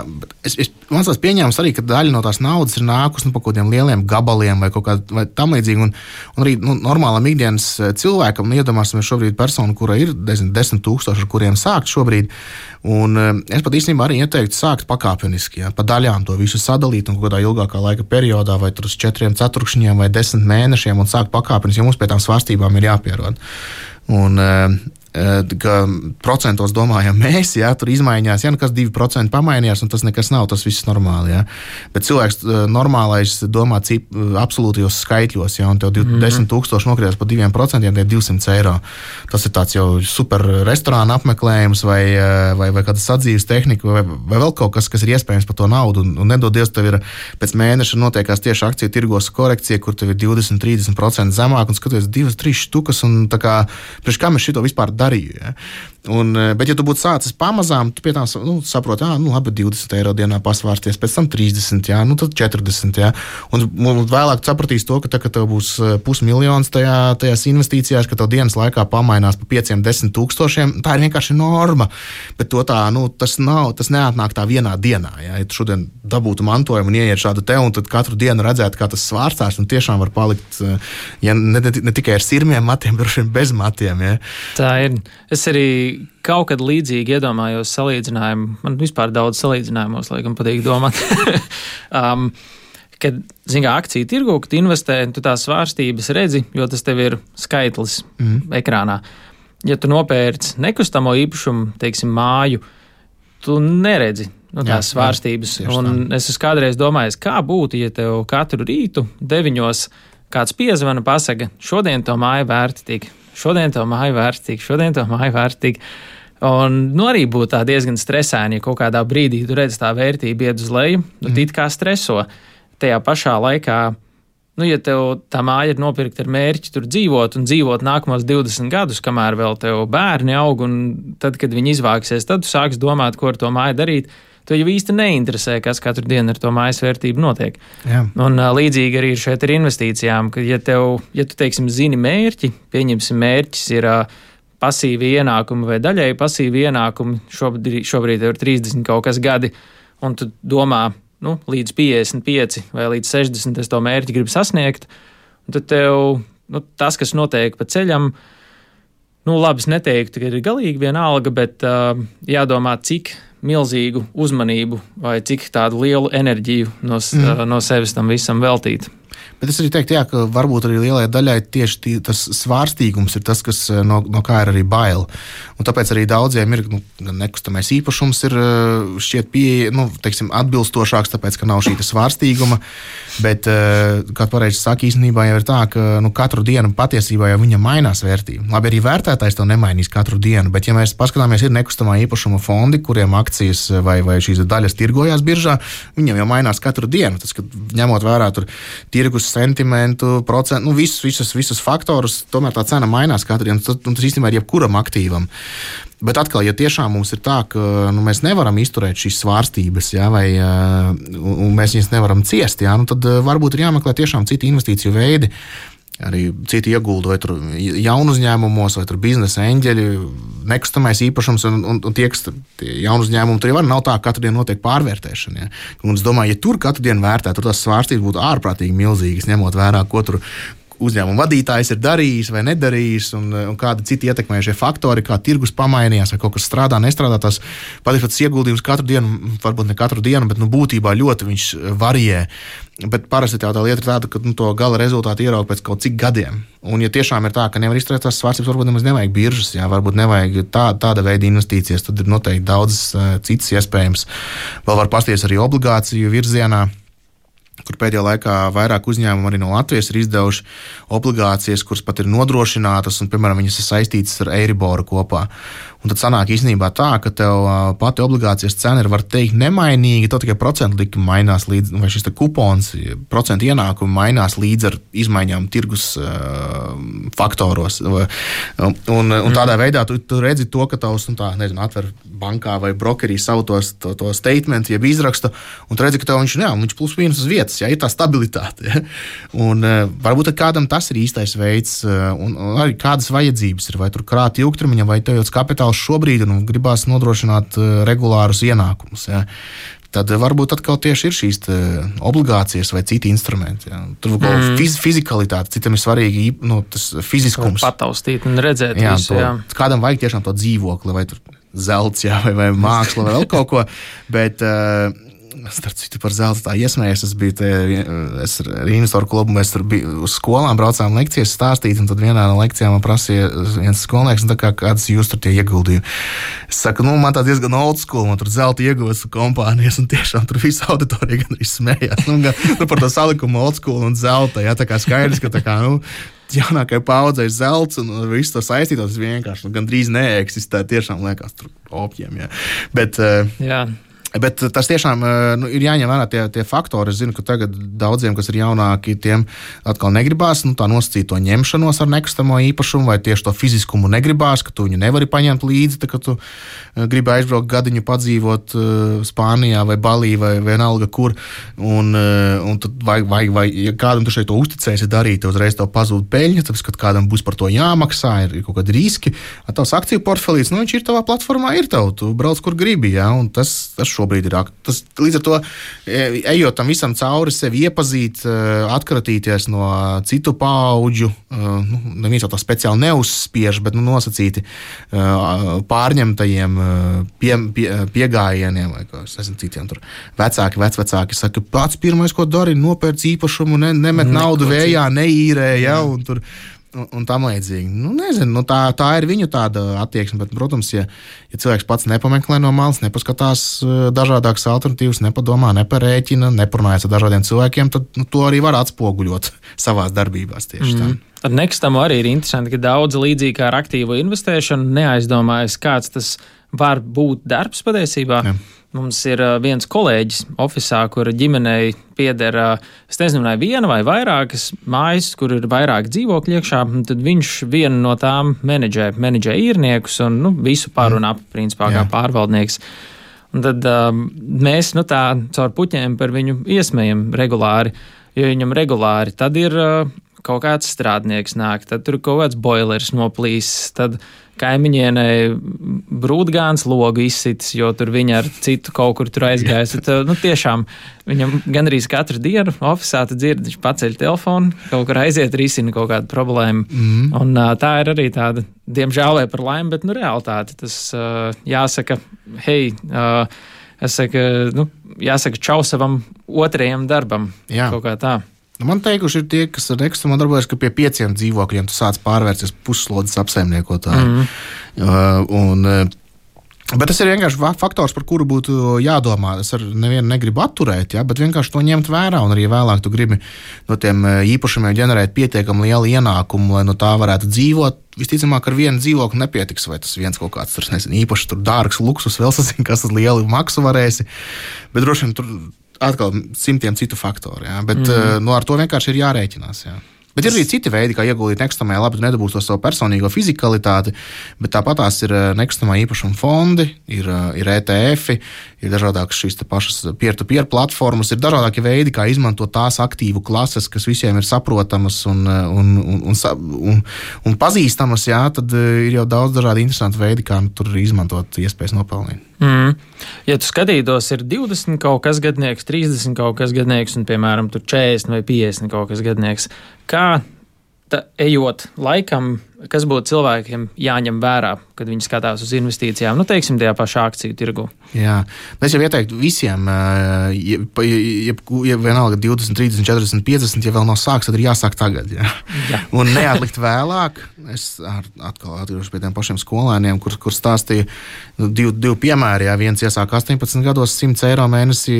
es, es, man tās pieņēmums arī, ka daļa no tās naudas ir nākus nu, pa kaut kādiem lieliem gabaliem vai kaut kā vai tam līdzīgi. Un, un arī nu, normālam ikdienas cilvēkam, nu, iedomāsimies šobrīd personu, kura ir desmit tūkstoši, ar kuriem sākt šobrīd. Un es pat īstenībā arī ieteiktu sākt pakāpeniski, jā, pa daļām to visu sadalīt un kādā ilgākā laika periodā, vai tur uz četriem ceturkšņiem vai desmit mēnešiem un sākt pakāpeniski, jo mums pie tām svārstībām ir jāpierod. Un, ka procentos domājam mēs, jā, tur izmaiņās, jā, nu kas divi procenti pamainījās, un tas nekas nav, tas viss normāli, jā. Bet cilvēks normālais domā cip, absolūtajos skaitļos, jā, un tev mm-hmm. desmit tūkstoši nokritās par diviem procentiem, tie ir divsimt eiro. Tas ir tāds jau super restorāna apmeklējums vai, vai, vai kāda sadzīves tehnika vai, vai vēl kaut kas, kas ir iespējams par to naudu, un, un nedod Dievs, tev ir pēc mēneša notiekās tieši akciju tirgos korekcija, kur tev ir divdesmit līdz trīsdesmit procenti zemāk, un skaties divas, trīs štukas, un tā kā, priekš kā mēs šito vispār darīju. Ja? Un, bet, ja tu būtu sācis pamazām, tu pie tām nu, saproti, jā, nu, labi, divdesmit eiro dienā pasvārsties, pēc tam trīsdesmit, jā, nu, tad četrdesmit. Jā. Un, un vēlāk tu sapratīsi to, ka, tā, ka tev būs pusmiljons tajā, tajās investīcijās, ka tev dienas laikā pamainās pa pieciem, desmit tūkstošiem. Tā ir vienkārši norma, bet to tā, nu, tas nav, tas neatnāk tā vienā dienā. Jā. Ja tu šodien dabūtu mantojumu un ieiet šādu te, un tad katru dienu redzētu, kā tas svārstās, un tiešām var palikt, ja ne, ne, ne tikai ar sirmiem matiem, bet bez matiem. Jā. Tā ir. Es arī kaut kad līdzīgi iedomājos salīdzinājumu. Man vispār daudz salīdzinājumos, laikam, patīk domāt. um, kad, zin kā, akciju tirgu, kad investē, tu tās svārstības redzi, jo tas tev ir skaitlis mm. ekrānā. Ja tu nopērci nekustamo īpašumu, teiksim, māju, tu neredzi nu, tās jā, svārstības. Jā, un es esmu kādreiz domājis, kā būtu, ja tev katru rītu deviņos kāds piezvana pasaka, šodien to māju vērti tik. Šodien to māju vērtīgi, šodien to māju vērtīgi. Un nu, arī būtu tā diezgan stresaini, ja kaut kādā brīdī tu redz tā vērtība iet uz leju, nu, mm. it kā streso. Tajā pašā laikā, nu, ja tev tā māja ir nopirkta ar mērķi tur dzīvot un dzīvot nākamos divdesmit gadus, kamēr vēl tev bērni aug, un tad, kad viņi izvāksies, tad tu sāks domāt, ko ar to māju darīt. Tu jau īsti neinteresē, kas katru dienu ar to mājas vērtību notiek. Jā. Un uh, līdzīgi arī ir šeit ar investīcijām, ka ja, tev, ja tu, teiksim, zini mērķi, pieņemsim mērķis ir uh, pasīvi ienākumi vai daļēji pasīvi ienākumi, šobrīd, šobrīd tev ir trīsdesmit kaut kas gadi, un tu domā, nu, līdz piecdesmit pieci vai līdz sešdesmit es to mērķi gribu sasniegt, un tad tev, nu, tas, kas notiek pa ceļam, nu, labi, es neteiktu, ka ir galīgi vienalga, bet uh, jādomā, cik milzīgu uzmanību vai cik tādu lielu enerģiju no, mm. no sevis tam visam veltīt. Bet es arī teiktu, jā, ka varbūt arī lielai daļai tieši tī, tas svārstīgums ir tas, kas no, no kā ir arī bail. Un tāpēc arī daudziem ir, nu, nekustamais īpašums ir šķiet pieeja, nu, teiksim, atbilstošāks, tāpēc, ka nav šī svārstīguma. Bet, kā pareizi saka, īstenībā jau ir tā, ka nu, katru dienu patiesībā jau viņa mainās vērtība. Labi, arī vērtētājs to nemainīs katru dienu, bet ja mēs paskatāmies, ir nekustamā īpašuma fondi, kuriem akcijas vai, vai šīs daļas tirgojās biržā, viņam jau mainās katru dienu. Tas, kad ņemot vērā tur tirgus sentimentu, procentu, nu visus, visus, visus faktorus, tomēr tā cena mainās katru dienu, un tas īstenībā ir jebkuram aktīvam. Bet atkal, ja tiešām mums ir tā, ka nu, mēs nevaram izturēt šīs svārstības, jā, vai uh, un mēs viņas nevaram ciest, jā, nu, tad uh, varbūt ir jāmeklē tiešām citi investīciju veidi, arī citi iegulda vai tur jaunu uzņēmumos, vai tur biznesa eņģeļi, nekustamais īpašums, un, un, un tie, kas tie jaunu uzņēmumi, tur jau nav tā, ka katru dienu notiek pārvērtēšana. Ja? Un es domāju, ja tur katru dienu vērtē, tur tās svārstības būtu ārprātīgi milzīgas, ņemot vērā, ko tur, uzņēmuma vadītājs ir darījis vai nedarījis, un, un kādi citi ietekmējušie faktori, kā tirgus pamainījās, vai kaut kas strādā, nestrādā. Tas patiesībā tas ieguldījums katru dienu, varbūt ne katru dienu, bet nu, būtībā ļoti viņš varijē. Bet parasti tā lieta ir tāda, ka nu, to gala rezultātu ierauga pēc kaut cik gadiem. Un, ja tiešām ir tā, ka nevar izturēt tās svārstības, varbūt nemaz nevajag biržas, jā, varbūt nevajag tā, tāda veida investīcijas, tad ir noteikti daudz uh, citas iespējams. Vēl var pasties arī obligāciju virzienā, kur pēdējā laikā vairāk uzņēmumu arī no Latvijas ir izdevuši obligācijas, kuras pat ir nodrošinātas, un, piemēram, viņas ir saistītas ar Eiriboru kopā. Un tad sanāk īstenībā tā, ka tev pati obligācijas cena ir, var teikt, nemainīga, to tikai procentu likumi mainās līdz, vai šis te kupons, procentu ienākumi mainās līdz ar izmaiņām tirgus uh, faktoros. Un, un, un tādā veidā tu, tu redzi to, ka tavs, nu tā, nezinu, atver bankā vai brokerī savu tos, to, to statement, jeb izrakstu, un tu redzi, ka tev viņš, jā, viņš plus mīnus uz vietas, jā, ir tā stabilitāte. Ja? Un uh, varbūt kādam tas ir īstais veids, uh, un, un arī kādas vajadzības ir, vai tur krāt ilgtermiņa, vai tev jau kapitāls šobrīd un gribās nodrošināt uh, regulārus ienākumus. Ja. Tad uh, varbūt atkal tieši ir šīs obligācijas vai citi instrumenti. Ja. Tur kaut mm. fiz, fizikalitāte, citam ir svarīgi nu, tas fiziskums. Pataustīt un redzēt jā, visu. To, jā. Kādam vajag tiešām to dzīvokli, vai tur zelts, jā, vai, vai māksla, vai vēl kaut ko. Bet, uh, starp citu par zeltu tā iesmējies, es biju te, es ar investoru klubu, mēs tur biju uz skolām, braucām lekcijas stāstīt, un tad vienā no lekcijām man prasīja viens skolnieks, un tā kā kāds jūs tur tie ieguldījumi. Es saku, nu, man tā diezgan old school, man tur zelta ieguves kompānijas, un tiešām tur visa auditorija gan arī smējās. Nu, gan, nu, par to salikumu old school un zelta, jā, tā kā skaidrs, ka tā kā, nu, jaunākai paudzei zelts un viss to saistītos vienkārši, nu, gan drīz neeksistē, tiešām liekas tur opjiem, jā. Bet, jā. Bet tas tiešām nu, ir jāņem vērā tie, tie faktori. Es zinu, ka tagad daudziem, kas ir jaunāki, tiem atkal negribās nu, tā nosacīt to ņemšanos ar nekustamo īpašumu, vai tieši to fiziskumu negribās, ka tu viņu nevari paņemt līdzi, tā, ka tu gribi aizbraukt gadiņu padzīvot uh, Spānijā vai Balī vai vienalga kur. Un, uh, un tad vai, vai, vai ja kādam tu šeit to uzticēsi darīt, uzreiz tev pazūd peļņa, tāpēc, ka kādam būs par to jāmaksā, ir, ir kaut kādi riski. Tavs akciju portfelīs, nu viņš ir tavā platformā, ir tev, tu brauc kur gribi, jā, un tas, tas šobrīd ir. Tas, līdz ar to, ejot tam visam cauri, sevi iepazīt, atkratīties no citu paudžu, nu, neviens jau tā speciāli neuzspiež, bet nu, nosacīti pārņemtajiem pie, pie, piegājieniem, vai kā es nezinu, citiem tur vecāki, vecvecāki saka, pats pirmais, ko dari, nopērc īpašumu, ne, nemet naudu vējā, neīrē, ja, un tur Un, un tam līdzīgi. Nu, nezinu, nu tā, tā ir viņu tāda attieksme, bet, protams, ja, ja cilvēks pats nepameklē no malas, nepaskatās dažādākas alternatīvas, nepadomā, neparēķina, neparunājas ar dažādiem cilvēkiem, tad nu, to arī var atspoguļot savās darbībās tieši mm. tā. Ar nekustamo arī ir interesanti, ka daudz līdzīgi kā ar aktīvo investēšanu neaizdomājas, kāds tas var būt darbs patiesībā. Jā. Mums ir viens kolēģis ofisā, kura ģimenei pieder, es nezinu, vai viena vai vairākas mājas, kur ir vairāk dzīvokļu iekšā, tad viņš vienu no tām menedžē, menedžē īrniekus un nu, visu pārunā, principā, kā pārvaldnieks. Un tad um, mēs nu, tā caur puķiem par viņu iesmējam regulāri, jo viņam regulāri tad ir uh, kaut kāds strādnieks nāk, tad tur kaut kāds boilers noplīs, tad kaimiņienei brūtgāns logu izsitis, jo tur viņa ar citu kaut kur tur aizgājas. Tad, nu, tiešām viņam gandrīz katru dienu ofisā tu dzirdi, viņš paceļ telefonu, kaut kur aiziet, risina kaut kādu problēmu. Mm. Un uh, tā ir arī tāda, diemžēl vai par laimi, bet nu realitāte. Tas uh, jāsaka, hei, uh, jāsaka, nu, jāsaka čau savam otrajam darbam. Jā. Kaut kā tā. Man teikuši ir tie, kas ar nekustamā darbojas, ka pie pieciem dzīvokļiem tu sāc pārvērsties pusslodzes apsaimniekotāji. Mm. Uh, un, bet tas ir vienkārši faktors, par kuru būtu jādomā. Es ar nevienu negribu atturēt, ja, bet vienkārši to ņemt vērā, un arī vēlāk tu gribi no tiem īpašumiem ģenerēt pietiekami lielu ienākumu, lai no tā varētu dzīvot. Visticamāk, ar vienu dzīvokli nepietiks, vai tas viens kaut kāds tur, nezinu, īpaši tur dārgs luksus, vēl sazin, kas tad lielu maksu varēsi, bet droši vien tur atkal simtiem citu faktoru, jā. Bet mm. nu, ar to vienkārši ir jārēķinās. Jā. Bet ir arī citi veidi, kā ieguldīt nekustamajā, labi, tu nedabūsi to savu personīgo fizikalitāti, bet tāpat tās ir nekustamā īpašuma fondi, ir, ir E T F, ir dažādākas šīs pašas peer-to-peer platformas, ir dažādākie veidi, kā izmantot tās aktīvu klases, kas visiem ir saprotamas un, un, un, un, un, un pazīstamas, jā, tad ir jau daudz dažādi interesanti veidi, kā tur izmantot iespējas nopelnīt. Mm. Ja tu skatītos, ir divdesmit kaut kas gadnieks, trīsdesmit kaut kas gadnieks un, piemēram, tur četrdesmit vai piecdesmit kaut kas gadnieks, kā ta, ejot laikam, kas būtu cilvēkiem jāņem vērā, kad viņi skatās uz investīcijām, nu, teiksim, tajā pašā akciju tirgu? Jā, es jau ieteiktu visiem, ja, ja, ja vienalga divdesmit, trīsdesmit, četrdesmit, piecdesmit, ja vēl nav sāks, tad ir jāsāk tagad. Jā. Jā. Un neatlikt vēlāk. Es atkal atgriežos pie tiem pašiem skolēniem, kur, kur stāstīju divu, divu piemēru. Jā, viens iesāk astoņpadsmit gados simts eiro mēnesī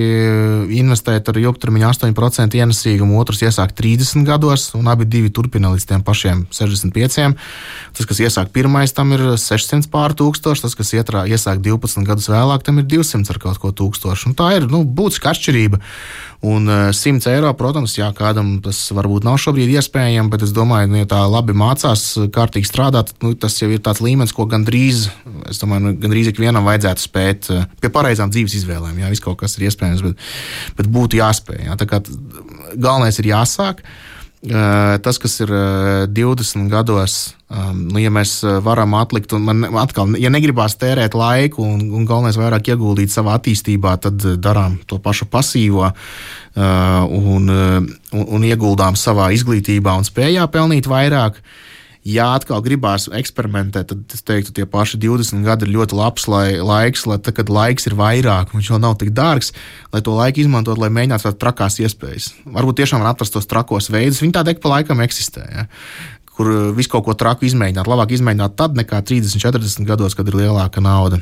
investēt ar ilgtermiņa astoņi procenti ienesīgumu, otrs iesāk trīsdesmit gados, un abi divi turpina līdz tiem pašiem sešdesmit pieciem. Tas, kas iesāk pirmais, tam ir sešsimt pār tūkstoši, tas, kas ietrā, iesāk divpadsmit gadus vēlāk, tam ir divsimt ar kaut ko tūkstoši. Un tā ir, nu, būtiska atšķirība. Un simts eiro, protams, jā, kādam tas varbūt nav šobrīd iespējams, bet es domāju, nu, ja tā labi mācās, kārtīgi strādāt, nu, tas jau ir tāds līmenis, ko gandrīz, es domāju, nu, gandrīz ikvienam vajadzētu spēt pie pareizām dzīves izvēlēm. Jā, viss kaut kas ir iespējams, bet, bet būtu jāspēj. Jā. Tā kā galvenais ir jāsāk. Tas, kas ir divdesmit gados, nu, ja mēs varam atlikt, un man atkal, ja negribās tērēt laiku un, un galvenais vairāk ieguldīt savā attīstībā, tad darām to pašu pasīvo un, un, un ieguldām savā izglītībā un spējā pelnīt vairāk. Ja atkal gribās eksperimentēt, tad es teiktu, tie paši divdesmit gadi ir ļoti labs lai, laiks, lai tad, kad laiks ir vairāk, viņš vēl nav tik dārgs, lai to laiku izmantot, lai mēģinātu tās trakās iespējas. Varbūt tiešām var atrast tos trakos veidus, viņi tādi ik pa laikam eksistē, ja? Kur visu kaut ko traku izmēģināt. Labāk izmēģināt tad nekā trīsdesmit, četrdesmit gados, kad ir lielāka nauda.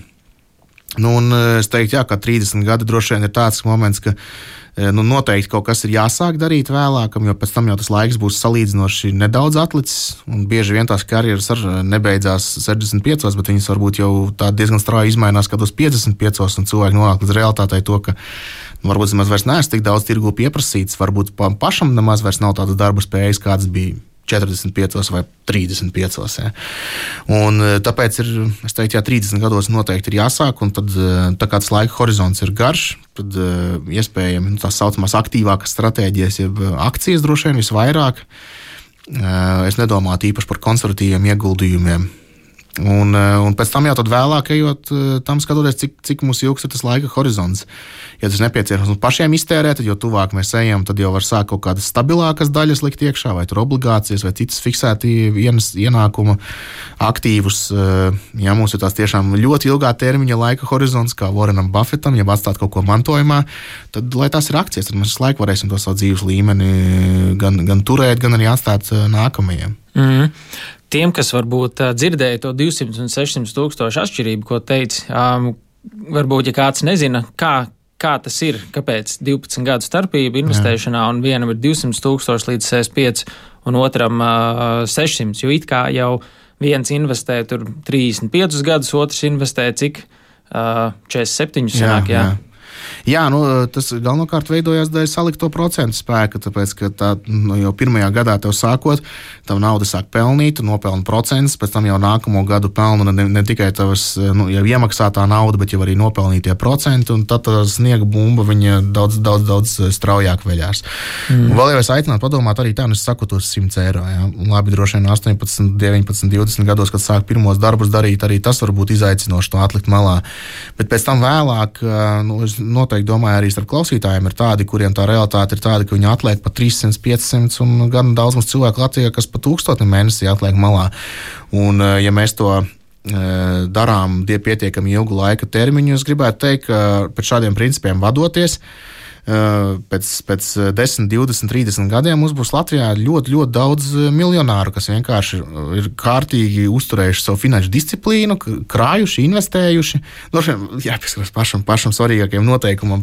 Nu, un es teiktu, jā, ka trīsdesmit gadi droši vien ir tāds moments, ka nu, noteikti kaut kas ir jāsāk darīt vēlākam, jo pēc tam jau tas laiks būs salīdzinoši nedaudz atlicis, un bieži vien tās karjeras ar nebeidzās sešdesmit piecos, bet viņas varbūt jau tā diezgan strauji izmainās, kad uz piecdesmit piecos, un cilvēki nonāk līdz realitātei to, ka nu, varbūt nemaz vairs neesmu tik daudz tirgu pieprasīts, varbūt pašam nemaz vairs nav tādas darba spējas, kādas bija četrdesmit piecos vai trīsdesmit piecos. Ja. Un tāpēc ir, es teiktu, jā, trīsdesmit gados noteikti ir jāsāk, un tad, tā kā tas laika horizonts ir garš, tad iespējami nu, tās saucamās aktīvākas stratēģijas, jeb akcijas droši vien visvairāk. Es nedomātu īpaši par konservatīviem ieguldījumiem. Un, un pēc tam jau tad vēlāk ejot tam skatoties, cik, cik mums ilgs ir tas laika horizonts. Ja tas nepieciešams pašiem iztērēt, tad jo tuvāk mēs ejam, tad jau var sākt kaut kādas stabilākas daļas likt iekšā, vai tur obligācijas, vai citas fiksēti ienākuma aktīvus. Ja mums ir tās tiešām ļoti ilgā termiņa laika horizonts, kā Warrenam Buffetam, ja atstāt kaut ko mantojumā, tad, lai tās ir akcijas, tad mēs visu laiku varēsim to savu dzīves līmeni gan, gan turēt, gan arī atstāt nākamajiem. Mm. Tiem, kas varbūt dzirdēja to divsimt un sešsimt tūkstošu atšķirību, ko teici, um, varbūt, ja kāds nezina, kā, kā tas ir, kāpēc divpadsmit gadu starpība investēšanā, Jā. Un vienam ir divsimt tūkstoši līdz sešdesmit pieci un otram uh, sešsimt, jo it kā jau viens investē tur trīsdesmit piecus gadus, otrs investē cik uh, četrdesmit septiņus sanāk, jā. jā. Jā, nu, tas galvenokārt veidojās dēļ salikto procentu spēka, tāpēc, ka tā, nu, jau pirmajā gadā tev sākot, tev nauda sāk pelnīt, nopelna procentus, pēc tam jau nākamo gadu pelnu ne, ne tikai tavas nu, jau iemaksātā nauda, bet jau arī nopelnītie procenti, un tad tā sniega bumba viņa daudz, daudz, daudz straujāk veļās. Mm. Un vēl jau es aicinātu padomāt arī tā, nu es saku tos simts eiro, jā. Labi, droši vien astoņpadsmit, deviņpadsmit, divdesmit gados, kad sāk pirmos darbus darīt, arī tas var būt izaicinoši to atlikt malā. Bet pēc tam vēlāk, nu, es noteikti domāju, arī starp klausītājiem ir tādi, kuriem tā realitāte ir tāda, ka viņi atliek pa trīssimt, piecsimt un gan daudz mums cilvēku Latvijā, kas pa tūkstotni mēnesī atliek malā. Un ja mēs to darām pietiekami ilgu laika termiņu, es gribētu teikt, ka pēc šādiem principiem vadoties, pēc, pēc desmit, divdesmit, trīsdesmit gadiem mums būs Latvijā ļoti, ļoti daudz miljonāru, kas vienkārši ir kārtīgi uzturējuši savu finanšu disciplīnu, krājuši, investējuši. Droši vien jāpieskaras pašam, pašam svarīgākajam noteikumam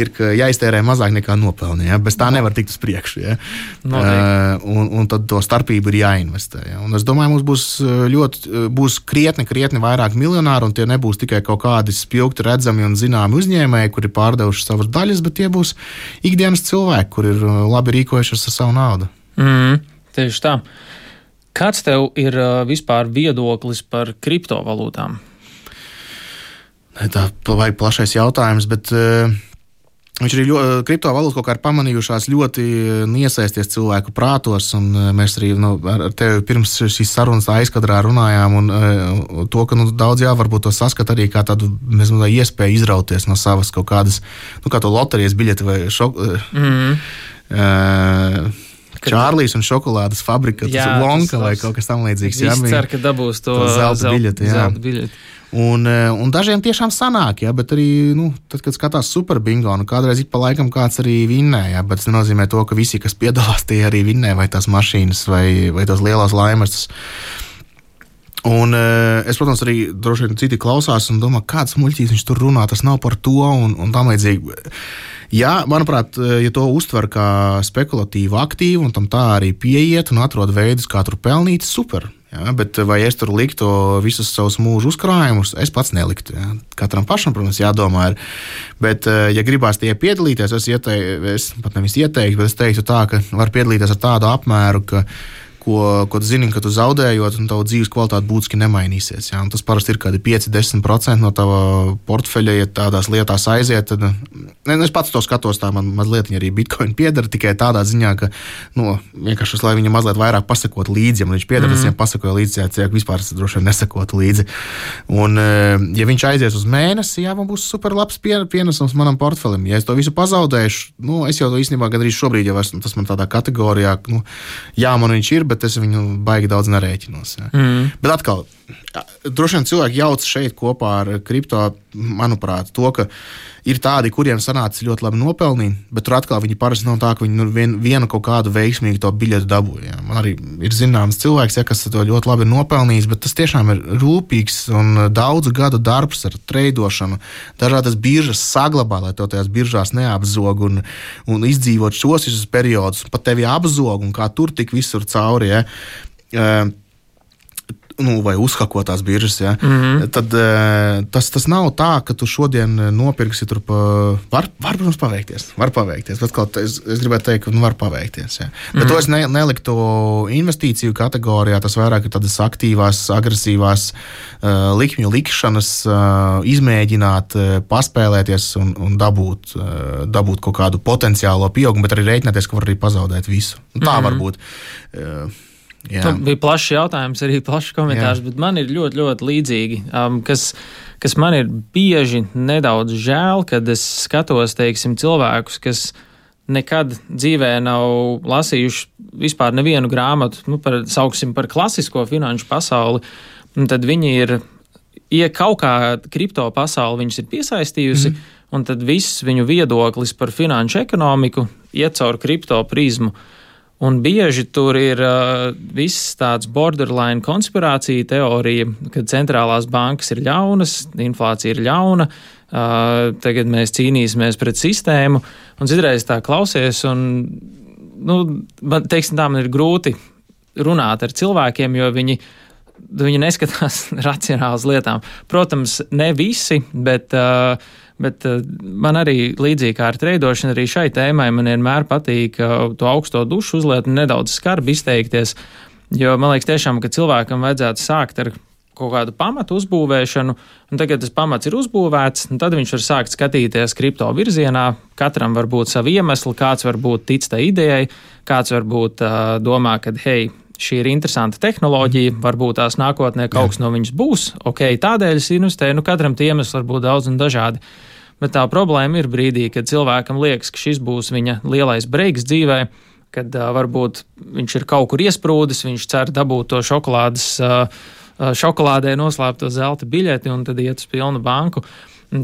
ir, ka jāiztērē mazāk nekā nopelni. Ja? Bez tā nevar tikt uz priekšu. Ja? Uh, un, un tad to starpību ir jāinvestē. Ja? Un es domāju, mums būs ļoti, būs krietni, krietni vairāk miljonāru, un tie nebūs tikai kaut kādi spilgti redzami un zināmi uzņēmēji, kuri pārdevuši savas daļas, bet tie būs ikdienas cilvēki, kur ir labi rīkojušies ar savu naudu. Mm, tieši tā. Kāds tev ir vispār viedoklis par kriptovalūtām? Tā vajag plašais jautājums, bet uh, viņš arī ļoti, kriptovalūta kaut kā ir pamanījušās ļoti iesaisties cilvēku prātos, un mēs arī nu, ar tevi pirms šīs sarunas aizkadrā runājām, un uh, to, ka nu, daudz jā, varbūt to saskat arī kā tādu mēs, nu, iespēju izrauties no savas kaut kādas, nu kā to loterijas biļeti vai šok... Mm. Uh, Čārlīs un šokolādes fabrika, tas ir Wonka vai kaut kas tam līdzīgs. Viss cer, ka dabūs to, to zelta zelt, biļeti. zelta biļeti. Un, un dažiem tiešām sanāk, ja, bet arī, nu, tad, kad skatās super bingo, nu, kādreiz ik pa laikam kāds arī vinnē, ja, bet tas nenozīmē to, ka visi, kas piedalās, tie arī vinnē, vai tās mašīnas, vai, vai tās lielās laimes. Un es, protams, arī droši vien citi klausās un domā, kāds muļķīs viņš tur runā, tas nav par to un, un tam līdzīgi. Jā, manuprāt, ja to uztver kā spekulatīvu aktīvu un tam tā arī pieiet un atrod veidus, kā tur pelnīt, super. Jā, bet vai es tur liktu visus savus mūžu uzkrājumus, es pats neliktu. Jā. Katram pašam, protams, jādomā ir. Bet, ja gribās tie piedalīties, es, ieteiktu, es pat nevis ieteiktu, bet es teiktu tā, ka var piedalīties ar tādu apmēru, ka ko, ko tu zini, ka tu zaudējot, un tavu dzīves kvalitāte būtiski nemainīsies. Ja? Tas parasti ir kādi pieci līdz desmit procenti no tava portfeļa, ja tādās lietās aiziet. Tad, ne, es pats to skatos, tā man mazliet arī Bitcoin piedara, tikai tādā ziņā, ka, nu, vienkārši, lai viņam mazliet vairāk pasakot līdzi, ja man viņš piedara, mm. es viņam pasakoju līdzi, ja vispār es droši vien nesakotu līdzi. Un, ja viņš aizies uz mēnesi, jā, man būs super labs pienesums manam portfelim. Ja es to visu pazaudēšu, nu, es jau to īstenībā gandrīz šobrīd jau esmu, tas man tādā kategorijā, nu, jā, man viņš ir, bet es viņu baigi daudz nerēķinos. Ja. Mm. Bet atkal, droši vien cilvēki jauc šeit kopā ar kripto, manuprāt, to, ka ir tādi, kuriem sanāca ļoti labi nopelnīt, bet tur atkal viņi parasti nav tā, ka viņi nu vien, vienu kaut kādu veiksmīgu to biļetu dabūja. Ja. Man arī ir zināms cilvēks, ja, kas to ļoti labi ir nopelnījis, bet tas tiešām ir rūpīgs un daudzu gadu darbs ar treidošanu. Dažādas biržas saglabā, lai to tajās biržās neapzog un, un izdzīvot šos visus periodus, pat tevi apzog un kā tur tik visur cauri. Ja. Uh, Nu, vai uzhakotās biržas, ja. Mm-hmm. Tad tas, tas nav tā, ka tu šodien nopirksi tur pa... Var, var protams, paveikties. Var paveikties. Bet kaut es, es gribētu teikt, ka nu, var paveikties, ja. Bet mm-hmm. to es ne, neliktu investīciju kategorijā. Tas vairāk ir tādas aktīvās, agresīvās uh, likmju likšanas, uh, izmēģināt, uh, paspēlēties un, un dabūt, uh, dabūt kaut kādu potenciālo pieaugumu, bet arī rēķināties, ka var arī pazaudēt visu. Tā mm-hmm. var būt. Uh, Jā. Tas bija plašs jautājums, arī plašs komentārs, Jā. Bet man ir ļoti, ļoti līdzīgi, um, kas, kas man ir bieži nedaudz žēl, kad es skatos, teiksim, cilvēkus, kas nekad dzīvē nav lasījuši vispār nevienu grāmatu, nu, par, sauksim par klasisko finanšu pasauli, un tad viņi ir, ja kaut kā kripto pasauli viņus ir piesaistījusi, mm. un tad viss viņu viedoklis par finanšu ekonomiku iet caur kripto prizmu. Un bieži tur ir uh, viss tāds borderline konspirācija teorija, ka centrālās bankas ir ļaunas, inflācija ir ļauna, uh, tagad mēs cīnīsimies pret sistēmu, un citreiz tā klausies, un, nu, man, teiksim tā, man ir grūti runāt ar cilvēkiem, jo viņi, viņi neskatās racionāli uz lietām. Protams, ne visi, bet... Uh, Bet uh, man arī līdzīgi kā ar treidošanu, arī šai tēmai man vienmēr patīk uh, to augsto dušu uzliet un nedaudz skarbi izteikties, jo man liekas tiešām, ka cilvēkam vajadzētu sākt ar kaut kādu pamatu uzbūvēšanu, un tagad tas pamats ir uzbūvēts, un tad viņš var sākt skatīties kripto virzienā, katram var būt savi iemesli, kāds var būt tic tai idejai, kāds var būt uh, domā, ka hei, šī ir interesanta tehnoloģija, varbūt tās nākotnē kaut kas no viņas būs, ok, tādēļ es investēju, nu katram tie iemesli var būt daudz un dažādi. Bet tā problēma ir brīdī, kad cilvēkam liekas, ka šis būs viņa lielais breiks dzīvē, kad uh, varbūt viņš ir kaut kur iesprūdis, viņš cer dabūt to šokolādes, uh, šokolādē noslēpto zelta biļeti un tad iet uz pilnu banku.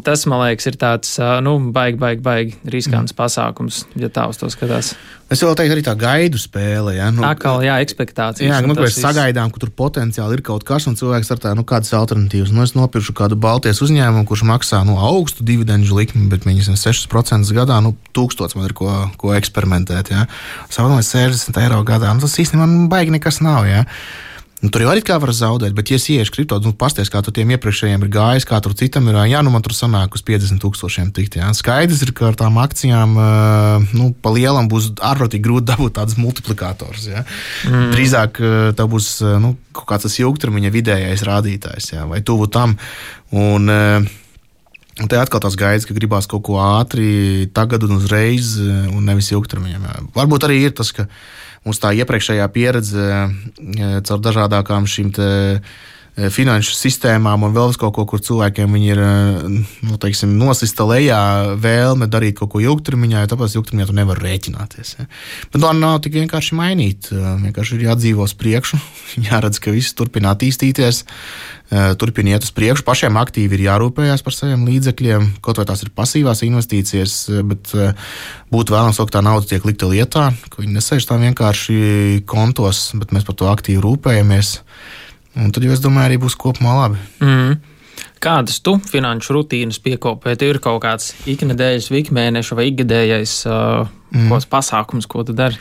Tas, man liekas, ir tāds, nu, baigi, baigi, baigi riskants mm. pasākums, ja tā uz to skatās. Es vēl teiktu arī tā gaidu spēle, ja? Nu, Akal, jā, ekspektācijas. Jā, nu, mēs sagaidām, ka tur potenciāli ir kaut kas, un cilvēks ar tā, nu, kādas alternatīvas. Nu, es nopiršu kādu Baltijas uzņēmumu, kurš maksā, nu, augstu dividendžu likmi, bet viņas sešas procentus gadā, nu, tūkstots man ir ko, ko eksperimentēt, ja? Savādāk sešdesmit eiro gadā, nu, tas īstenībā nu, baigi nekas nav, ja? Nu, tur jau arī kā var zaudēt, bet, ja es ieiešu kripto, nu, pasties, kā tur tiem iepriekšējiem ir gājis, kā tur citam ir, jā, nu, man tur sanāk uz piecdesmit tūkstošiem tikt, jā. Skaidrs ir, ka ar tām akcijām, nu, pa lielam būs ārprotīgi grūti dabūt tādas multiplikators, jā. Mm. Drīzāk tā būs, nu, kaut kāds tas ilgtermiņa vidējais rādītājs, jā, vai tuvu tam, un... Un te atkal tās gaidas, ka gribās kaut ko ātri, tagad un uzreiz, un nevis ilgtermiņam. Varbūt arī ir tas, ka mums tā iepriekšējā pieredze caur dažādākām šīm te finanšu sistēmām un vēl kaut ko, kur cilvēkiem viņi ir nu, teiksim, nosista lejā vēlme darīt kaut ko ilgtermiņā, jo tāpēc ilgtermiņā tu nevar rēķināties. Ja. Bet tā nav tik vienkārši mainīt. Vienkārši ir jādzīvo uz priekšu, jāredz, ka viss turpina attīstīties, turpina iet uz priekšu. Pašiem aktīvi ir jārūpējās par saviem līdzekļiem, kaut vai tās ir pasīvās investīcijas, bet būtu vēlams, ka tā nauda tiek likta lietā, ka viņi nesēž tā vienkārši kontos, bet mēs par to aktīvi rūpējamies. Un tad, es domāju, arī būs kopumā labi. Mm. Kādas tu finanšu rutīnas piekopē? Tev ir kaut kāds iknedēļas, ikmēneša vai ikgadējais uh, mm. pasākums, ko tu dari?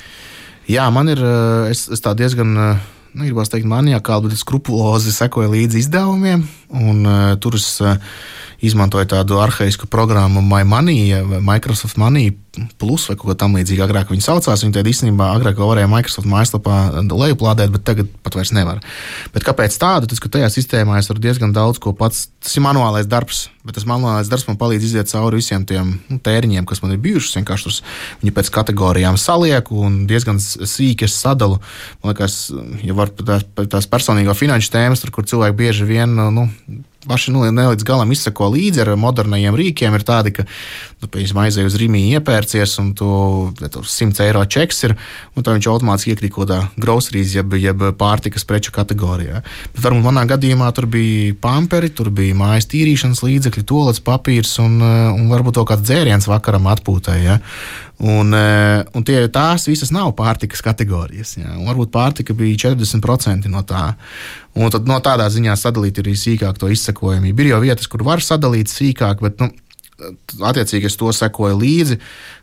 Jā, man ir, es, es tā diezgan, nu, gribās teikt, maniakāli, bet skrupulozi sekoju līdzi izdevumiem, un uh, tur es uh, izmantoju tādu arhaisku programmu My Money, vai Microsoft Money Plus vai kaut ko tam līdzīgi. Agrāk viņi saucās, viņi tad īstenībā agrāk varēja Microsoft mājaslapā lejuplādēt, bet tagad pat vairs nevar. Bet kāpēc tādu? Tas, ka tajā sistēmā es varu diezgan daudz ko pats, tas ir manuālais darbs, bet tas manuālais darbs man palīdz iziet cauri visiem tiem nu, tēriņiem, kas man ir bijušas, vienkārši tur viņi pēc kategorijām salieku un diezgan sīki es sadalu. Man liekas, ja var tās, tās personīgo finanšu tēmas, tur, kur cilvēki bieži vien, nu, paši nu, ne līdz galam izseko līdzi ar modernajiem rīkiem, ir tādi, ka tu pēc aizēji uz Rimi iepērcies un tu simt eiro čeks ir, un tā viņš automātiski iekrīt kaut kādā groceries, jeb, jeb pārtikas preču kategorijā. Bet varbūt manā gadījumā tur bija pamperi, tur bija mājas tīrīšanas līdzekļi, tualets papīrs un, un varbūt to kāds dzēriens vakaram atpūtai. Ja? Un, un tie, tās visas nav pārtikas kategorijas. Ja? Un varbūt pārtika bija četrdesmit procenti no tā. Un tad no tādā ziņā sadalīt arī sīkāk to izsekojamību. Ir jau vietas, kur var sadalīt sīkāk, bet, nu, attiecīgi es to sekoju līdzi.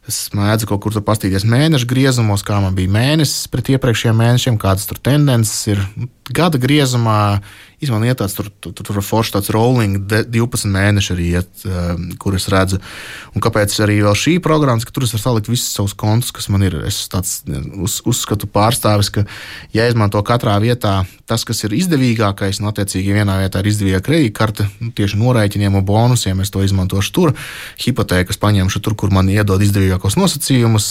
Es mēdzu kaut kur tur pastīties mēnešu griezumos, kā man bija mēnesis pret iepriekšējiem mēnešiem, kādas tur tendences ir. Gada griezumā man iet tāds, tur, tur, tur forši tāds rolling divpadsmit mēneši arī iet, kur es redzu. Un kāpēc arī vēl šī programma, ka tur es varu salikt visus savus kontus, kas man ir. Es tāds uz, uzskatu pārstāvis, ka jāizmanto katrā vietā tas, kas ir izdevīgākais, un attiecīgi vienā vietā ir izdevīgā kredītkarte, tieši norēķiniem un bonusiem es to izmantošu tur. Hipotēkas paņemšu tur, kur man iedod izdevīgākos nosacījumus,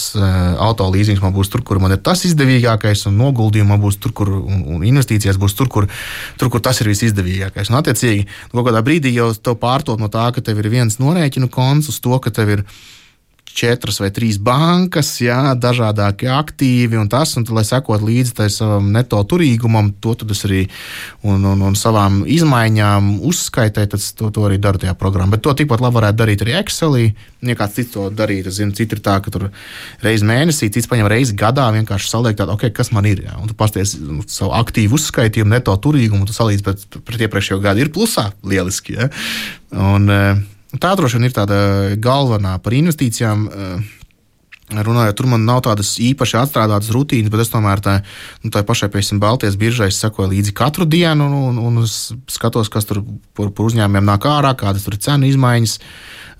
auto līzings man būs tur, kur man ir tas izdevīgākais, un noguldījumi man būs tur, kur, un, un investīcijas būs tur, kur, tur, kur tas ir visizdevīgākais. Un attiecīgi, kaut kādā brīdī jau tev pārtot no tā, ka tev ir viens norēķinu konts uz to, ka tev ir četras vai trīs bankas, jā, dažādākie aktīvi un tas, un tad, lai sekot līdzi tai savam neto turīgumam, to tad es arī un, un, un savām izmaiņām uzskaitēju, tad to, to arī daru tajā programmā. Bet to tikpat labi varētu darīt arī Excelī, ja kāds cits to darīt, es zinu, citi ir tā, ka tur reizi mēnesī, cits paņem reizi gadā, vienkārši saliek tādu, ok, kas man ir, jā, un tu pasties savu aktīvu uzskaitījumu, neto turīgumu, un tu salīdz pret, pret iepriekšējo gadu, ir plusā, lieliski, jā. Un, tā droši vien ir tāda galvenā par investīcijām. Runājot, tur man nav tādas īpaši atstrādātas rutīnas, bet es tomēr tā, nu, tā pašai, piemēram, Baltijas biržai sekoju līdzi katru dienu un, un, un skatos, kas tur par, par uzņēmumiem nāk ārā, kādas tur ir cenu izmaiņas.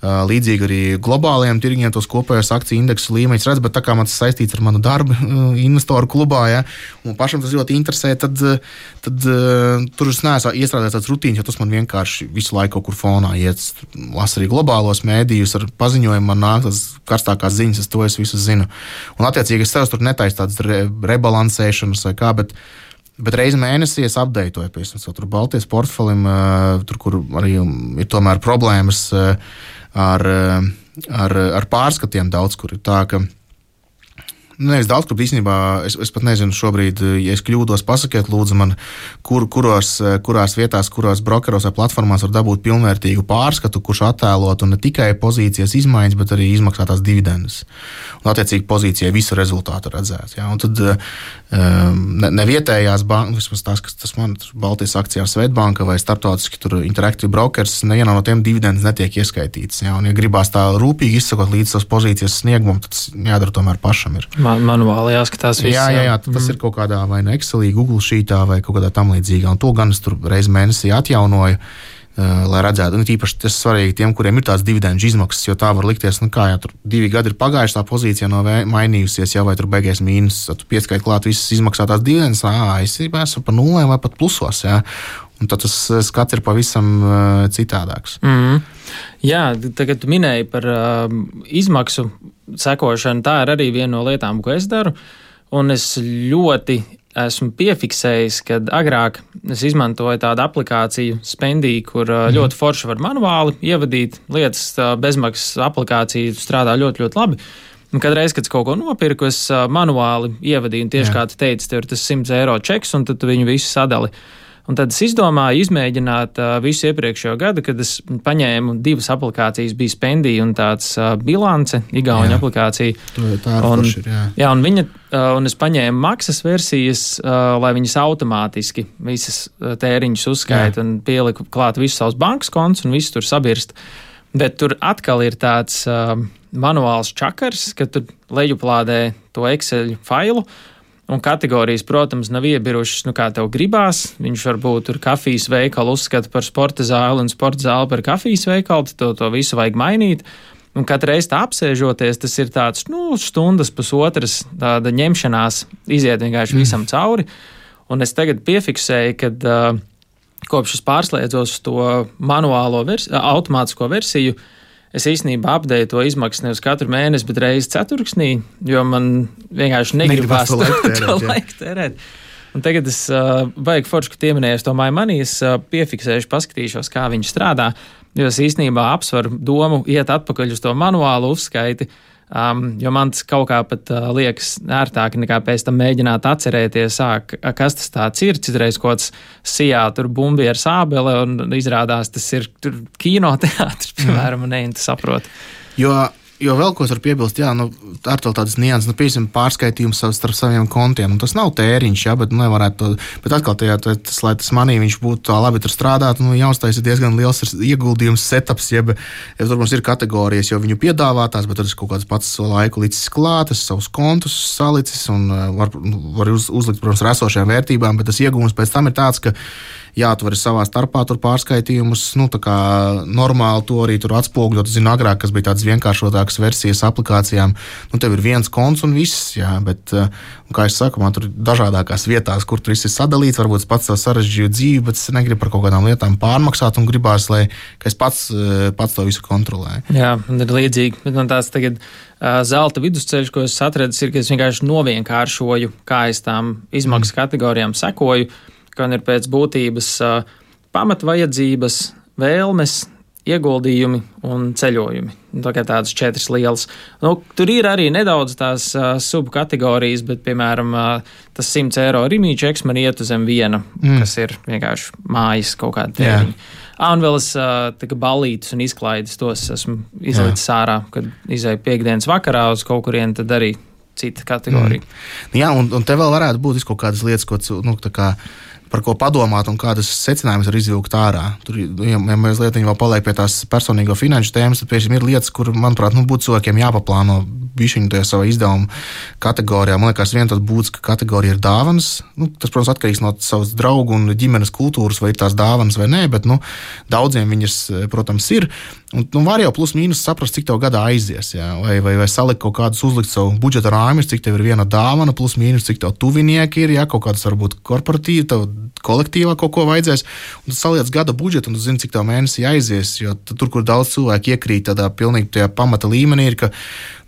Līdzīgi arī globālajiem tirgiem tos kopējos akciju indeksu līmeņus redz, bet tā kā man tas saistīts ar manu darbu investoru klubā, ja, un pašam tas ļoti interesē, tad, tad tur es neesmu iestrādājis tāds rutīns, jo tas man vienkārši visu laiku kaut kur fonā iet. Lasu arī globālos mēdījus ar paziņojumu, man nāk tas karstākās ziņas, es to es visu zinu. Un attiecīgi es sev tur netaisu tādas re, rebalansēšanas vai kā, bet Bet reizi mēnesī es apdeitoju, piemēram, tur Baltijas portfelim, tur, kur arī ir tomēr problēmas ar, ar, ar pārskatiem daudz, kur ir tā, ka nevis daudz, kur īstenībā es, es pat nezinu šobrīd, ja es kļūdos, pasakiet lūdzu man, kur, kuros, kurās vietās, kuros brokeros vai platformās var dabūt pilnvērtīgu pārskatu, kurš attēlotu ne tikai pozīcijas izmaiņas, bet arī izmaksātās dividendes. Un attiecīgi pozīcijai visu rezultātu redzēt. Ja? Un tad ne, ne vietējās bankas, vismaz tās, kas tas man Baltijas akcijā Svetbanka vai starptautiski tur Interactive Brokers, nevienā no tiem dividendes netiek ieskaitīts. Ja? Un ja gribās tā rūpīgi izsakot līdz savas pozīcijas sniegumam, tad tas jādara tomēr pašam ir. Man, manuāli jāskatās viss. Jā, jā, jā, tas mm. ir kaut kādā vai no Excelī, Google Sheetā vai kaut kādā tam līdzīgā. Un to gan es tur reizi mēnesī atjaunoju, uh, lai redzētu. Un tīpaši tas svarīgi tiem, kuriem ir tās dividendžu izmaksas, jo tā var likties, nu kā, ja tur divi gadi ir pagājuši, tā pozīcija nav mainījusies, ja vai tur beigies mīnus, tad tu pieskait klāt visas izmaksātās dividendes, ā, es esmu pa nulēm vai pat plusos, jā. Un tad tas skats ir pavisam uh, citādāks. Mm. Jā, tagad tu minēji par uh, izmaksu sekošanu. Tā ir arī viena no lietām, ko es daru. Un es ļoti esmu piefiksējis, ka agrāk es izmantoju tādu aplikāciju Spendī, kur mm. ļoti forši var manuāli ievadīt lietas. Bezmaksas aplikācija strādā ļoti, ļoti labi. Un kadreiz, kad es kaut ko nopirku, es manuāli ievadīju, un tieši Jā. Kā tu teici, tev ir tas simts eiro čeks, un tad tu viņu visu sadali. Un tad es izdomāju izmēģināt uh, visu iepriekšējo gadu, kad es paņēmu divas aplikācijas, bija Spendī un tāds uh, bilance, igauņu aplikācija. Tā ir un, forši, jā. Jā, un, viņa, uh, un es paņēmu maksas versijas, uh, lai viņas automātiski visas uh, tēriņus uzskaita un pieliku klāt visus savus bankas kontus un visu tur sabirst. Bet tur atkal ir tāds uh, manuāls čakars, ka tu lejuplādē to Excel failu. Un kategorijas, protams, nav iebirušas, nu kā tev gribās. Viņš varbūt tur kafijas veikalu uzskata par sporta zāli un sporta zāli par kafijas veikalu, to, to visu vajag mainīt. Un katru reizi tā apsēžoties, tas ir tāds, nu, stundas, pusotras tāda ņemšanās, iziet vienkārši visam cauri. Un es tagad piefiksēju, kad uh, kopš es pārslēdzos to manuālo versi, automātisko versiju, es īstenībā apdeju to izmaksas nevis katru mēnesi, bet reizi ceturksnī, jo man vienkārši negribās to laiku tērēt. Un tagad es uh, vajag forši, ka pieminējos to MyMoney, es uh, piefiksēšu, paskatīšos, kā viņš strādā, jo es īstenībā apsvaru domu iet atpakaļ uz to manuālu uzskaiti, um, jo man tas kaut kā pat uh, liekas ērtāk nekā pēc tam mēģināt atcerēties, āk, kas tas tāds ir, citreiz kaut kāds sijā tur bumbi ar sābele un izrādās tas ir tur kinoteātris, piemēram, un ne, tu saproti. Jo Jo vēl ko es varu piebilst, jā, nu, ar to tādas nianses, nu, piemēram, pārskaitījums starp saviem kontiem, un tas nav tēriņš, jā, bet, nu, nevarētu to, bet atkal tajā, tas, lai tas manī viņš būtu tā labi tur strādāt, nu, jāuztais ir diezgan liels ieguldījums, setups, jeb, ja tur mums ir kategorijas, jo viņu piedāvātās, bet tad es kaut kāds pats laiku licis klāt, es savus kontus salicis, un var, var uz, uzlikt, protams, ar esošajām vērtībām, bet tas iegūms pēc tam ir tāds, ka jā, tu vari savā starpā tur pārskaitījumus, nu, tā kā normāli to arī tur atspoguļot. Zinu, agrāk, kas bija tādas vienkāršotākas versijas aplikācijām, nu, tev ir viens konts un viss, jā, bet, kā es saku, man tur dažādākās vietās, kur tur viss ir sadalīts, varbūt es pats sev sarežģīju dzīvi, bet es negribu par kaut kādām lietām pārmaksāt un gribās, lai es pats, pats to visu kontrolēju. Jā, man ir līdzīgi, bet man tās tagad uh, zelta vidusceļš, ko es atradis, ir, ka es vienkārši novienkāršoju, kā es tām izmaksas kategorijām sekoju, ka ir pēc būtības uh, pamatvajadzības, vēlmes, ieguldījumi un ceļojumi. Tā kā tādas četras lielas. Nu, tur ir arī nedaudz tās uh, subkategorijas, bet, piemēram, uh, tas simts eiro rimīčeks man iet uz zem viena, mm. kas ir vienkārši mājas kaut kāda tēriņa. Ah, un vēl es uh, tā kā ballītus un izklaides tos esmu izlicis ārā, kad izēju piekdienas vakarā uz kaut kurien, tad arī cita kategorija. Mm. Jā, un, un te vēl varētu būt kaut kādas lietas, ko, nu, tā kā par ko padomāt un kādas secinājumus var izvilkt ārā. Tur, ja mazliet viņi vēl paliek pie tās personīgo finanšu tēmas, tad piešķiņ ir lietas, kur, manuprāt, nu, būtu cilvēkiem jāpaplāno bišķiņu tajā savā izdevuma kategorijā. Man liekas, viena tāda būtiska kategorija ir dāvanas. Nu, tas, protams, atkarīgs no savas draugu un ģimenes kultūras, vai ir tās dāvanas vai nē, bet, nu, daudziem viņas, protams, ir. Un, nu, var jau plus mīnus saprast, cik tev gadā aizies, jā, vai, vai, vai salikt kaut kādus, uzlikt savu budžeta rāmis, cik tev ir viena dāvana, plus mīnus, cik tev tuvinieki ir, jā, kaut kādas varbūt korporatīvi, tev kolektīvā kaut ko vajadzēs, un tu saliec gada budžetu, un tu zini, cik tev mēnesī aizies, jo tur, kur daudz cilvēku iekrīt tādā pilnīgi tajā pamata līmenī, ir, ka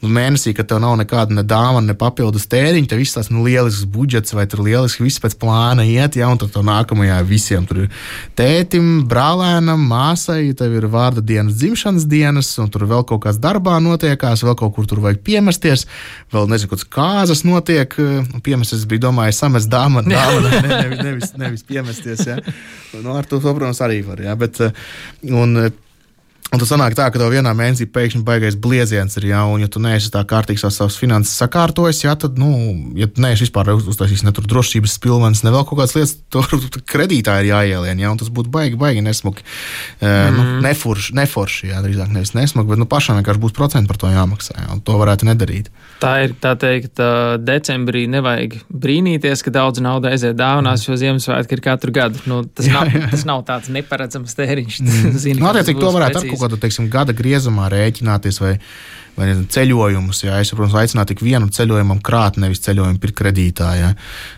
nu, mēnesī, kad tev nav nekāda ne dāvana, ne papildus tēriņa, tev viss tās nu, lielisks budžets, vai tur lieliski viss pēc plāna iet, ja, un tad tev nākamajā visiem tur ir tētim, brālēnam, māsai, tev ir vārda dienas, dzimšanas dienas, un tur vēl kaut kāds darbā notiekās, vēl kaut kur tur vajag piemesties, vēl nezinu, kāds kāzas notiek, piemesties bija, domāju, samest dāmanu, dāmanu, ne, nevis, nevis, nevis piemesties, ja. Nu, ar to, protams, arī var, ja, bet, un, Un tas sanāk tā, ka tev vienā mēnesī pēkšņi baigais blieziens ir, jā, un ja tu neesi tā kārtīgi savas finanses sakārtojis, jā, tad, nu, ja tu neesi vispār uztaisījis ne tur drošības pilvenis, ne vēl kaut kādas lietas, tur kredītā ir jāielien, jā, un tas būtu baigi, baigi nesmuki, mm. nu, neforši, neforši, jā, drīzāk nevis nesmuki, bet, nu, pašam vienkārši būs procenti par to jāmaksā, jā, un to varētu nedarīt. Tā ir, tā teikt, decembrī nevajag brīnīties, ka daudz nauda aiziet dāvanās, jo Ziemassvētki ir katru gadu. Nu, tas, jā, nav, jā. tas nav tāds neparedzams tēriņš. Mm. Zini, nu, attiecīgi to varētu ar kaut kādu, teiksim, gada griezumā rēķināties vai, vai nezinu, ceļojumus. Jā. Es, protams, aicinātu tik vienu ceļojumam krāt, nevis ceļojumu pirkt kredītā. Jā.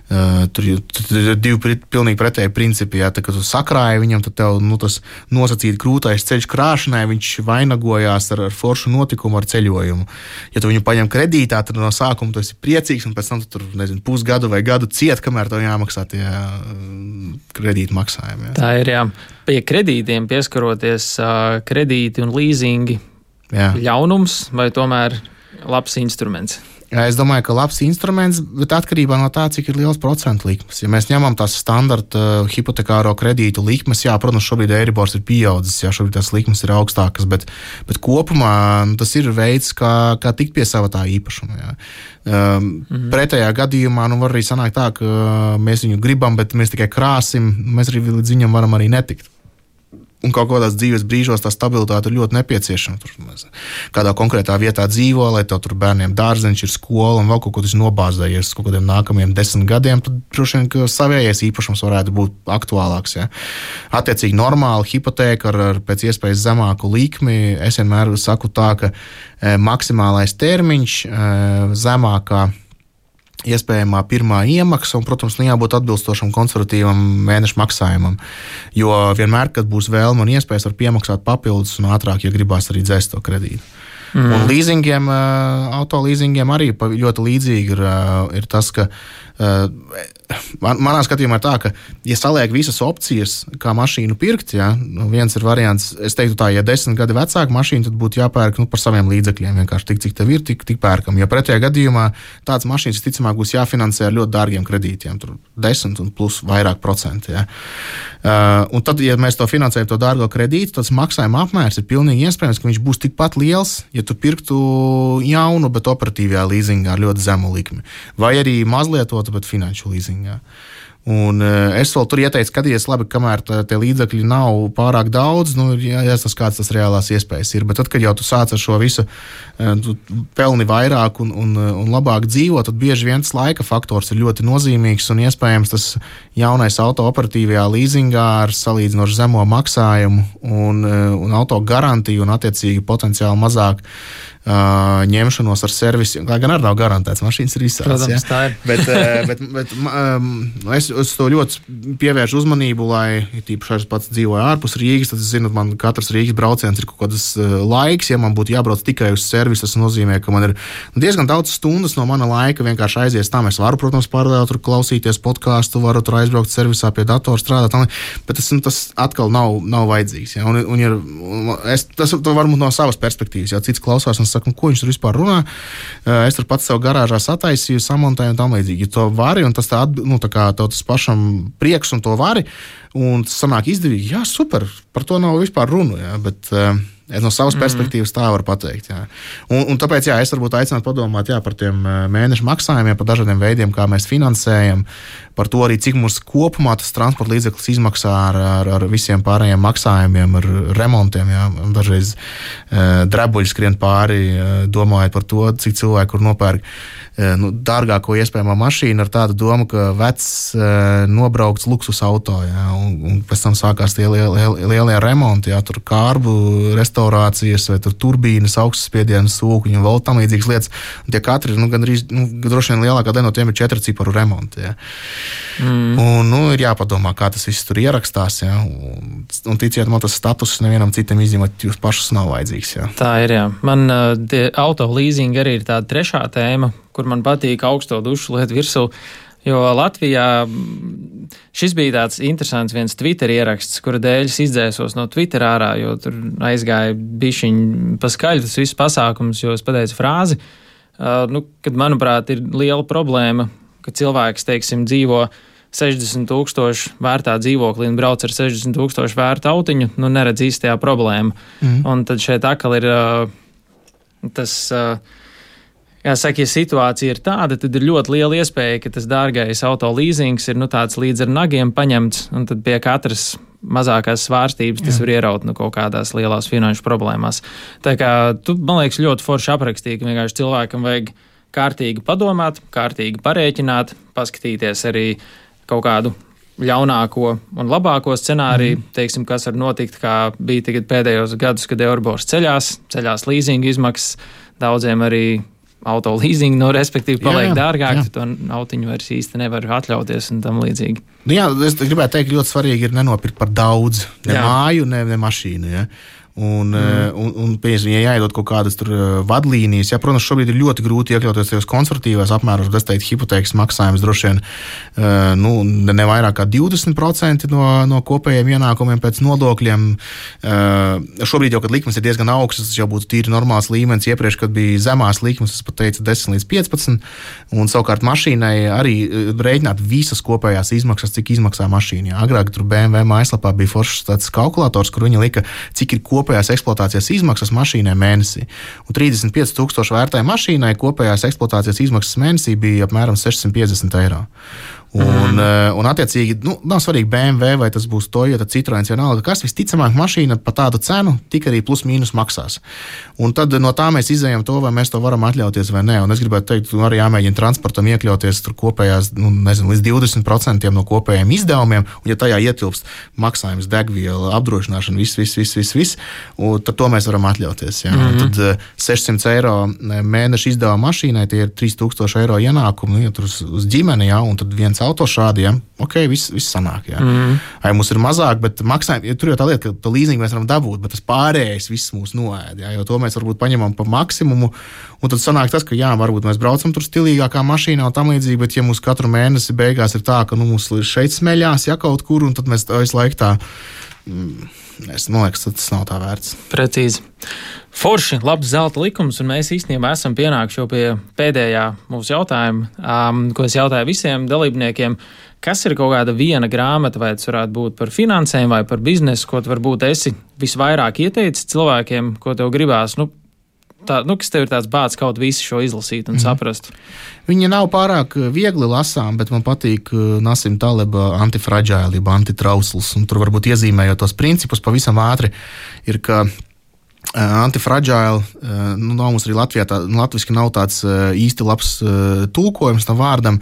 Uh, tur, tur ir divi pilnīgi pretēji principi. Jā. Tā, kad tu sakrāji viņam, tad tev nu, tas nosacīti krūtais ceļš krāšanai, viņš vainagojās ar, ar foršu notikumu, ar ceļojumu. Ja tu viņu paņem kredītā, tad no sākuma tu esi priecīgs, un pēc tam tu tur, nezinu, pusgadu vai gadu ciet, kamēr tev jāmaksā tie kredītu maksājumi. Jā. Tā ir, jā. Pie kredītiem pieskaroties, kredīti un līzingi, jā. Ļaunums vai tomēr labs instruments? Jā, es domāju, ka labs instruments, bet atkarībā no tā, cik ir liels procentu likmes. Ja mēs ņemam tās standarta uh, hipotekāro kredītu likmes, jā, protams, šobrīd Eiribors ir pieaudzis, jā, šobrīd tās likmes ir augstākas, bet, bet kopumā tas ir veids, kā, kā tikt pie sava tā īpašuma. Jā. Um, mm-hmm. Pretējā gadījumā nu, var arī sanākt tā, ka mēs viņu gribam, bet mēs tikai krāsim, mēs arī līdz viņam varam arī netikt. Un kaut kādās dzīves brīžos tā stabilitāte ir ļoti nepieciešama. Tur kādā konkrētā vietā dzīvo, lai tev tur bērniem dārzeņš ir skola un vēl kaut ko tas nobāzējies kaut kādiem nākamajiem desmit gadiem, tad droši vien, ka savējais īpašums varētu būt aktuālāks. Ja. Attiecīgi normāli hipotēka ar, ar pēc iespējas zemāku likmi. Es vienmēr saku tā, ka e, maksimālais termiņš e, zemākā iespējamā pirmā iemaksa un, protams, nu jābūt atbilstošam konservatīvam mēnešu maksājumam, jo vienmēr, kad būs vēlme un iespējas, var piemaksāt papildus un ātrāk, ja gribās arī dzēst to kredītu. Mm. Un līzingiem, auto līzingiem arī ļoti līdzīgi ir, ir tas, ka man, manā skatījumā ir tā, ka, ja saliek visas opcijas, kā mašīnu pirkt, ja, viens ir variants, es teiktu tā, ja desmit gadi vecāka mašīna, tad būtu jāpērk nu, par saviem līdzekļiem, vienkārši tik, cik tev ir, tik, tik pērkam. Ja pretējā gadījumā tāds mašīnas, ticamāk, būs jāfinansē ar ļoti dārgiem kredītiem, tur desmit un plus vairāk procenti. Ja. Uh, un tad, ja mēs to finansējam, to dārgo kredītu, tas maksājuma apmērs ir pilnīgi iespējams, ka viņš būs tikpat liels, ja tu pirktu jaunu, bet operatīvajā līzingā ar ļoti zemu likmi. Vai arī mazlietotu, bet finanšu līzingā. Un es vēl tur ieteicu, skatīties labi, kamēr tā, tie līdzekļi nav pārāk daudz, nu, jāsas kāds tas reālās iespējas ir. Bet tad, kad jau tu sāc ar šo visu, tu pelni vairāk un, un, un labāk dzīvo, tad bieži viens laika faktors ir ļoti nozīmīgs un iespējams tas jaunais auto operatīvajā līzingā ar salīdzinoši zemo maksājumu un, un auto garantiju un attiecīgi potenciāli mazāk Uh, ņemšanos ar servisiem, lai gan arī nav garantēts, mašīnas ir visādas. Protams, ja? Tā ir. bet, uh, bet, bet um, es, es to ļoti pievēršu uzmanību, lai, tīpaši es pats dzīvoju ārpus Rīgas, tad es zinu, man katrs Rīgas brauciens ir kaut kādas uh, laiks, ja man būtu jābrauc tikai uz servisu, tas nozīmē, ka man ir diezgan daudz stundas no mana laika vienkārši aizies tam. Es varu, protams, paralēli tur klausīties podcastu, varu tur aizbraukt servisā pie datora strādāt, bet tas, tas atkal nav, nav vajadzīgs. Ja? Un, un, ir, es, tas varbūt no savas perspektīvas, ja cits klausās un saka, ko viņš tur vispār runā. Es tur pats sev garāžā sataisīju, samontēju un tam līdzīgi. Ja to vari, un tas tā, nu, tā kā tas pašam prieks un to vari, un tas sanāk izdevīgi, jā, super, par to nav vispār runu, jā, bet es no savas perspektīvas tā varu pateikt. Jā. Un, un tāpēc, jā, es varbūt aicinātu padomāt, jā, par tiem mēnešu maksājumiem, par dažādiem veidiem, kā mēs finansējam, par to arī, cik mums kopumā tas transporta līdzeklis izmaksā ar, ar, ar visiem pārējiem maksājumiem, ar remontiem, jā. Dažreiz uh, drebuļi skrien pāri, uh, domājot par to, cik cilvēki, kur nopērk uh, nu, dārgāko iespējamo mašīnu ar tādu domu, ka vecs uh, nobraukts luksus auto, jā, un, un pēc tam sākās tie lielie, lielie remonti, jā, tur kārbu restaurācijas vai tur turbīnas, augstspiedienas sūkuņi un vēl tam līdzīgas lietas. Un tie katri, nu, gandrīz, nu, droši vien lielākā daļa no tiem ir četru ciparu remonti, jā. Mm. Un, nu, ir jāpadomā, kā tas viss tur ierakstās, jā. Un, un ticiet man, tas status nevienam citam izņemot jūs pašus nav vajadzīgs, jā. Tā ir, jā. Man uh, auto leasing arī ir tāda trešā tēma, kur man patīk augsto dušu liet virsū, jo Latvijā šis bija tāds interesants viens Twitter ieraksts, kura dēļ es izdzēsos no Twitter ārā, jo tur aizgāja bišķiņ paskaļ tas viss pasākums, jo es pateicu frāzi, uh, nu, kad, manuprāt, ir liela problēma, ka cilvēks, teiksim, dzīvo sešdesmit tūkstoši vērtā dzīvoklī un brauc ar sešdesmit tūkstoši vērtu autiņu, nu neredz īstajā problēmu. Mm. Un tad šeit atkal ir uh, tas, uh, jāsaka, ja situācija ir tāda, tad ir ļoti liela iespēja, ka tas dārgais auto leasings ir nu tāds līdz ar nagiem paņemts, un tad pie katras mazākās svārstības tas Jā. Var ieraut nu kaut kādās lielās finanšu problēmās. Tā kā tu, man liekas, ļoti forši aprakstīji, ka vienkārši cilvēkam vajag kārtīgi padomāt, kārtīgi parēķināt, paskatīties arī kaut kādu ļaunāko un labāko scenāriju, mm. teiksim, kas var notikt, kā bija tagad pēdējos gadus, kad Euribors ceļās, ceļās līzinga izmaksas, daudziem arī auto leasing, no respektīvi paliek jā, jā, dārgāk, jā. Tu to autiņu vairs īsti nevar atļauties un tam līdzīgi. Nu jā, es gribētu teikt, ļoti svarīgi ir nenopirkt par daudz, ne jā. Māju, ne, ne mašīnu, ja. Un, mm. un, un piemēram, ja jāiedod kaut kādas tur vadlīnijas, ja, protams, šobrīd ir ļoti grūti iekļauties tajos konservatīvās apmēros, es teiktu, hipotēkas maksājums droši vien nu, ne vairāk kā divdesmit procenti no, no kopējiem ienākumiem pēc nodokļiem. Šobrīd jau, kad likmes ir diezgan augstas, tas jau būtu tīri normāls līmenis. Iepriekš, kad bija zemās likmes, es pat teicu desmit līdz piecpadsmit, un savukārt mašīnai arī rēķināt visas kopējās izmaksas, cik izmaksā mašīna. Agrāk tur B M W mājaslapā bija foršs tāds kalkulators, kur viņi lika, cik ir kopējās kopējās eksploatācijas izmaksas mašīnai mēnesī. Un trīsdesmit pieci tūkstoši vērtai mašīnai kopējās eksploatācijas izmaksas mēnesī bija apmēram sešsimt piecdesmit eiro. Un, mm. un attiecīgi, nu, nav svarīgi B M W vai tas būs Toyota, Citroens, vienalga, kas visticamāk mašīna par tādu cenu tik arī plus mīnus maksās. Un tad no tā mēs izējam to, vai mēs to varam atļauties vai nē. Un es gribētu teikt, arī jāmēģina transportam iekļauties tur kopējās, nu, nezinu, līdz divdesmit procenti no kopējiem izdevumiem, un ja tajā ietilpst maksājums, degviela, apdrošināšana, viss, viss, viss, viss, viss, un tad to mēs varam atļauties. Ja? Mm. Tad sešsimt eiro mēneša izdevuma mašīnai, tie ir trīs tūkstoši eiro ienākumi, nu, ja tur uz, uz ģimeni, ja? Un tad viens auto šādi, ja? Ok, viss, viss sanāk, jā. Mm. Ai, mums ir mazāk, bet maksājumi, ja tur jau tā lieta, ka to līzingu mēs varam dabūt, bet tas pārējais viss mūs noēd, jā, jo to mēs varbūt paņemam pa maksimumu, un tad sanāk tas, ka jā, varbūt mēs braucam tur stilīgākā mašīnā un tam līdzīgi, bet ja mums katru mēnesi beigās ir tā, ka, nu, mums šeit smeļās, ja kaut kur, un tad mēs visu laiku tā, mm, es, man liekas, tas nav tā vērts. Precīzi. Forši, labs zelta likums, un mēs īstenībā esam pienākuši jau pie pēdējā mūsu jautājuma, um, ko es jautāju visiem dalībniekiem. Kas ir kaut kāda viena grāmata, vai tas varētu būt par finansēm vai par biznesu, ko tu varbūt esi visvairāk ieteicis cilvēkiem, ko tev gribās, nu, tā, nu kas tev ir tāds bāds kaut visu šo izlasīt un mm. saprast? Viņa nav pārāk viegli lasām, bet man patīk Nasim Taleba antifragile, jeb antitrausls, un tur varbūt iezīmējot tos principus pavisam ātri, ir, ka antifragile, nu, nav mums arī Latvijā, tā, nu, latviski nav tāds īsti labs tulkojums tam vārdam,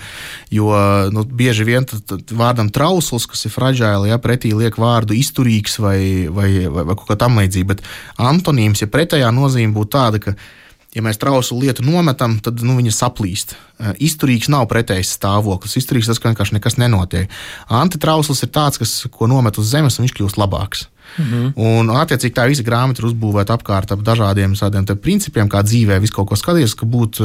jo, nu, bieži vien tad, tad vārdam trausls, kas ir fragile, ja, pretī liek vārdu izturīgs vai, vai, vai, vai kaut kā tam līdzīgi, bet antonīms, ja pretējā nozīme būtu tāda, ka ja mēs trauslu lietu nometam, tad, nu, viņa saplīst. Izturīgs nav pretējs stāvoklis. Izturīgs tas, ka vienkārši nekas nenotiek. Antitrausls ir tāds, kas, ko nomet uz zemes, un viņš kļūst labāks. Mm-hmm. Un, attiecīgi, tā visa grāmata ir uzbūvēta apkārt ap dažādiem tādiem principiem, kā dzīvē visu kaut ko skatīties, ka būt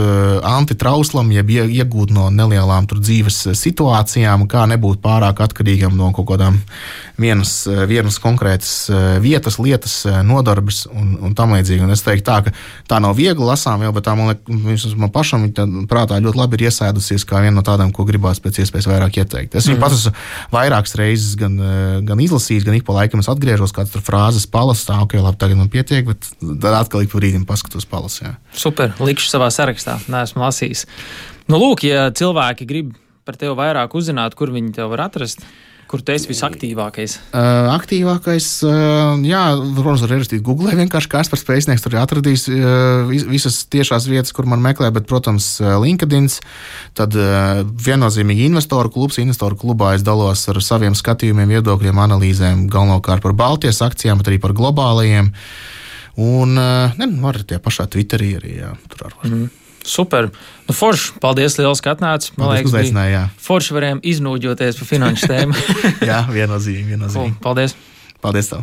antitrauslam, jeb iegūt no nelielām tur dzīves situācijām, kā nebūt pārāk atkarīgam no kaut kādām vienas, vienas konkrētas vietas, lietas, nodarbes un, un tam līdzīgi. Un es teiktu tā, ka tā nav viegli lasām, jau, bet tā man, man pašam prātā ļoti labi ir iesēdusies kā viena no tādām, ko gribās pēc iespējas vairāk ieteikt. Es viņu mm-hmm. pats esmu vairākas reizes gan, gan izlasījis, gan ik pa laikam es atgriežos, kāds tur frāzes palas, tā, ok, labi, tagad man pietiek, bet tad atkal ik pa brīdim paskatos palas, jā. Super, likšu savā sarakstā, neesmu lasījis. Nu, lūk, ja cilvēki grib par tevi vairāk uzzināt, kur viņi tev var atrast, kur tu esi visaktīvākais? Uh, aktīvākais, uh, jā, protams, var ierakstīt Google, vienkārši Kaspars Pēcnieks tur atradīs uh, visas tiešās vietas, kur man meklē, bet, protams, LinkedIn, tad uh, viennozīmīgi investoru klubs, investoru klubā es dalos ar saviem skatījumiem, viedokļiem, analīzēm, galvenokārt par Baltijas akcijām, bet arī par globālajiem, un, uh, ne, var tie pašā Twitterī arī, jā, tur ar var. Mm. Super. Nu, forši, paldies liels, ka atnāci. Man liekas, bija forši varējām iznūģoties pa finanšu tēmu. Jā, viennozīmīgi, viennozīmīgi. Paldies. Paldies tev.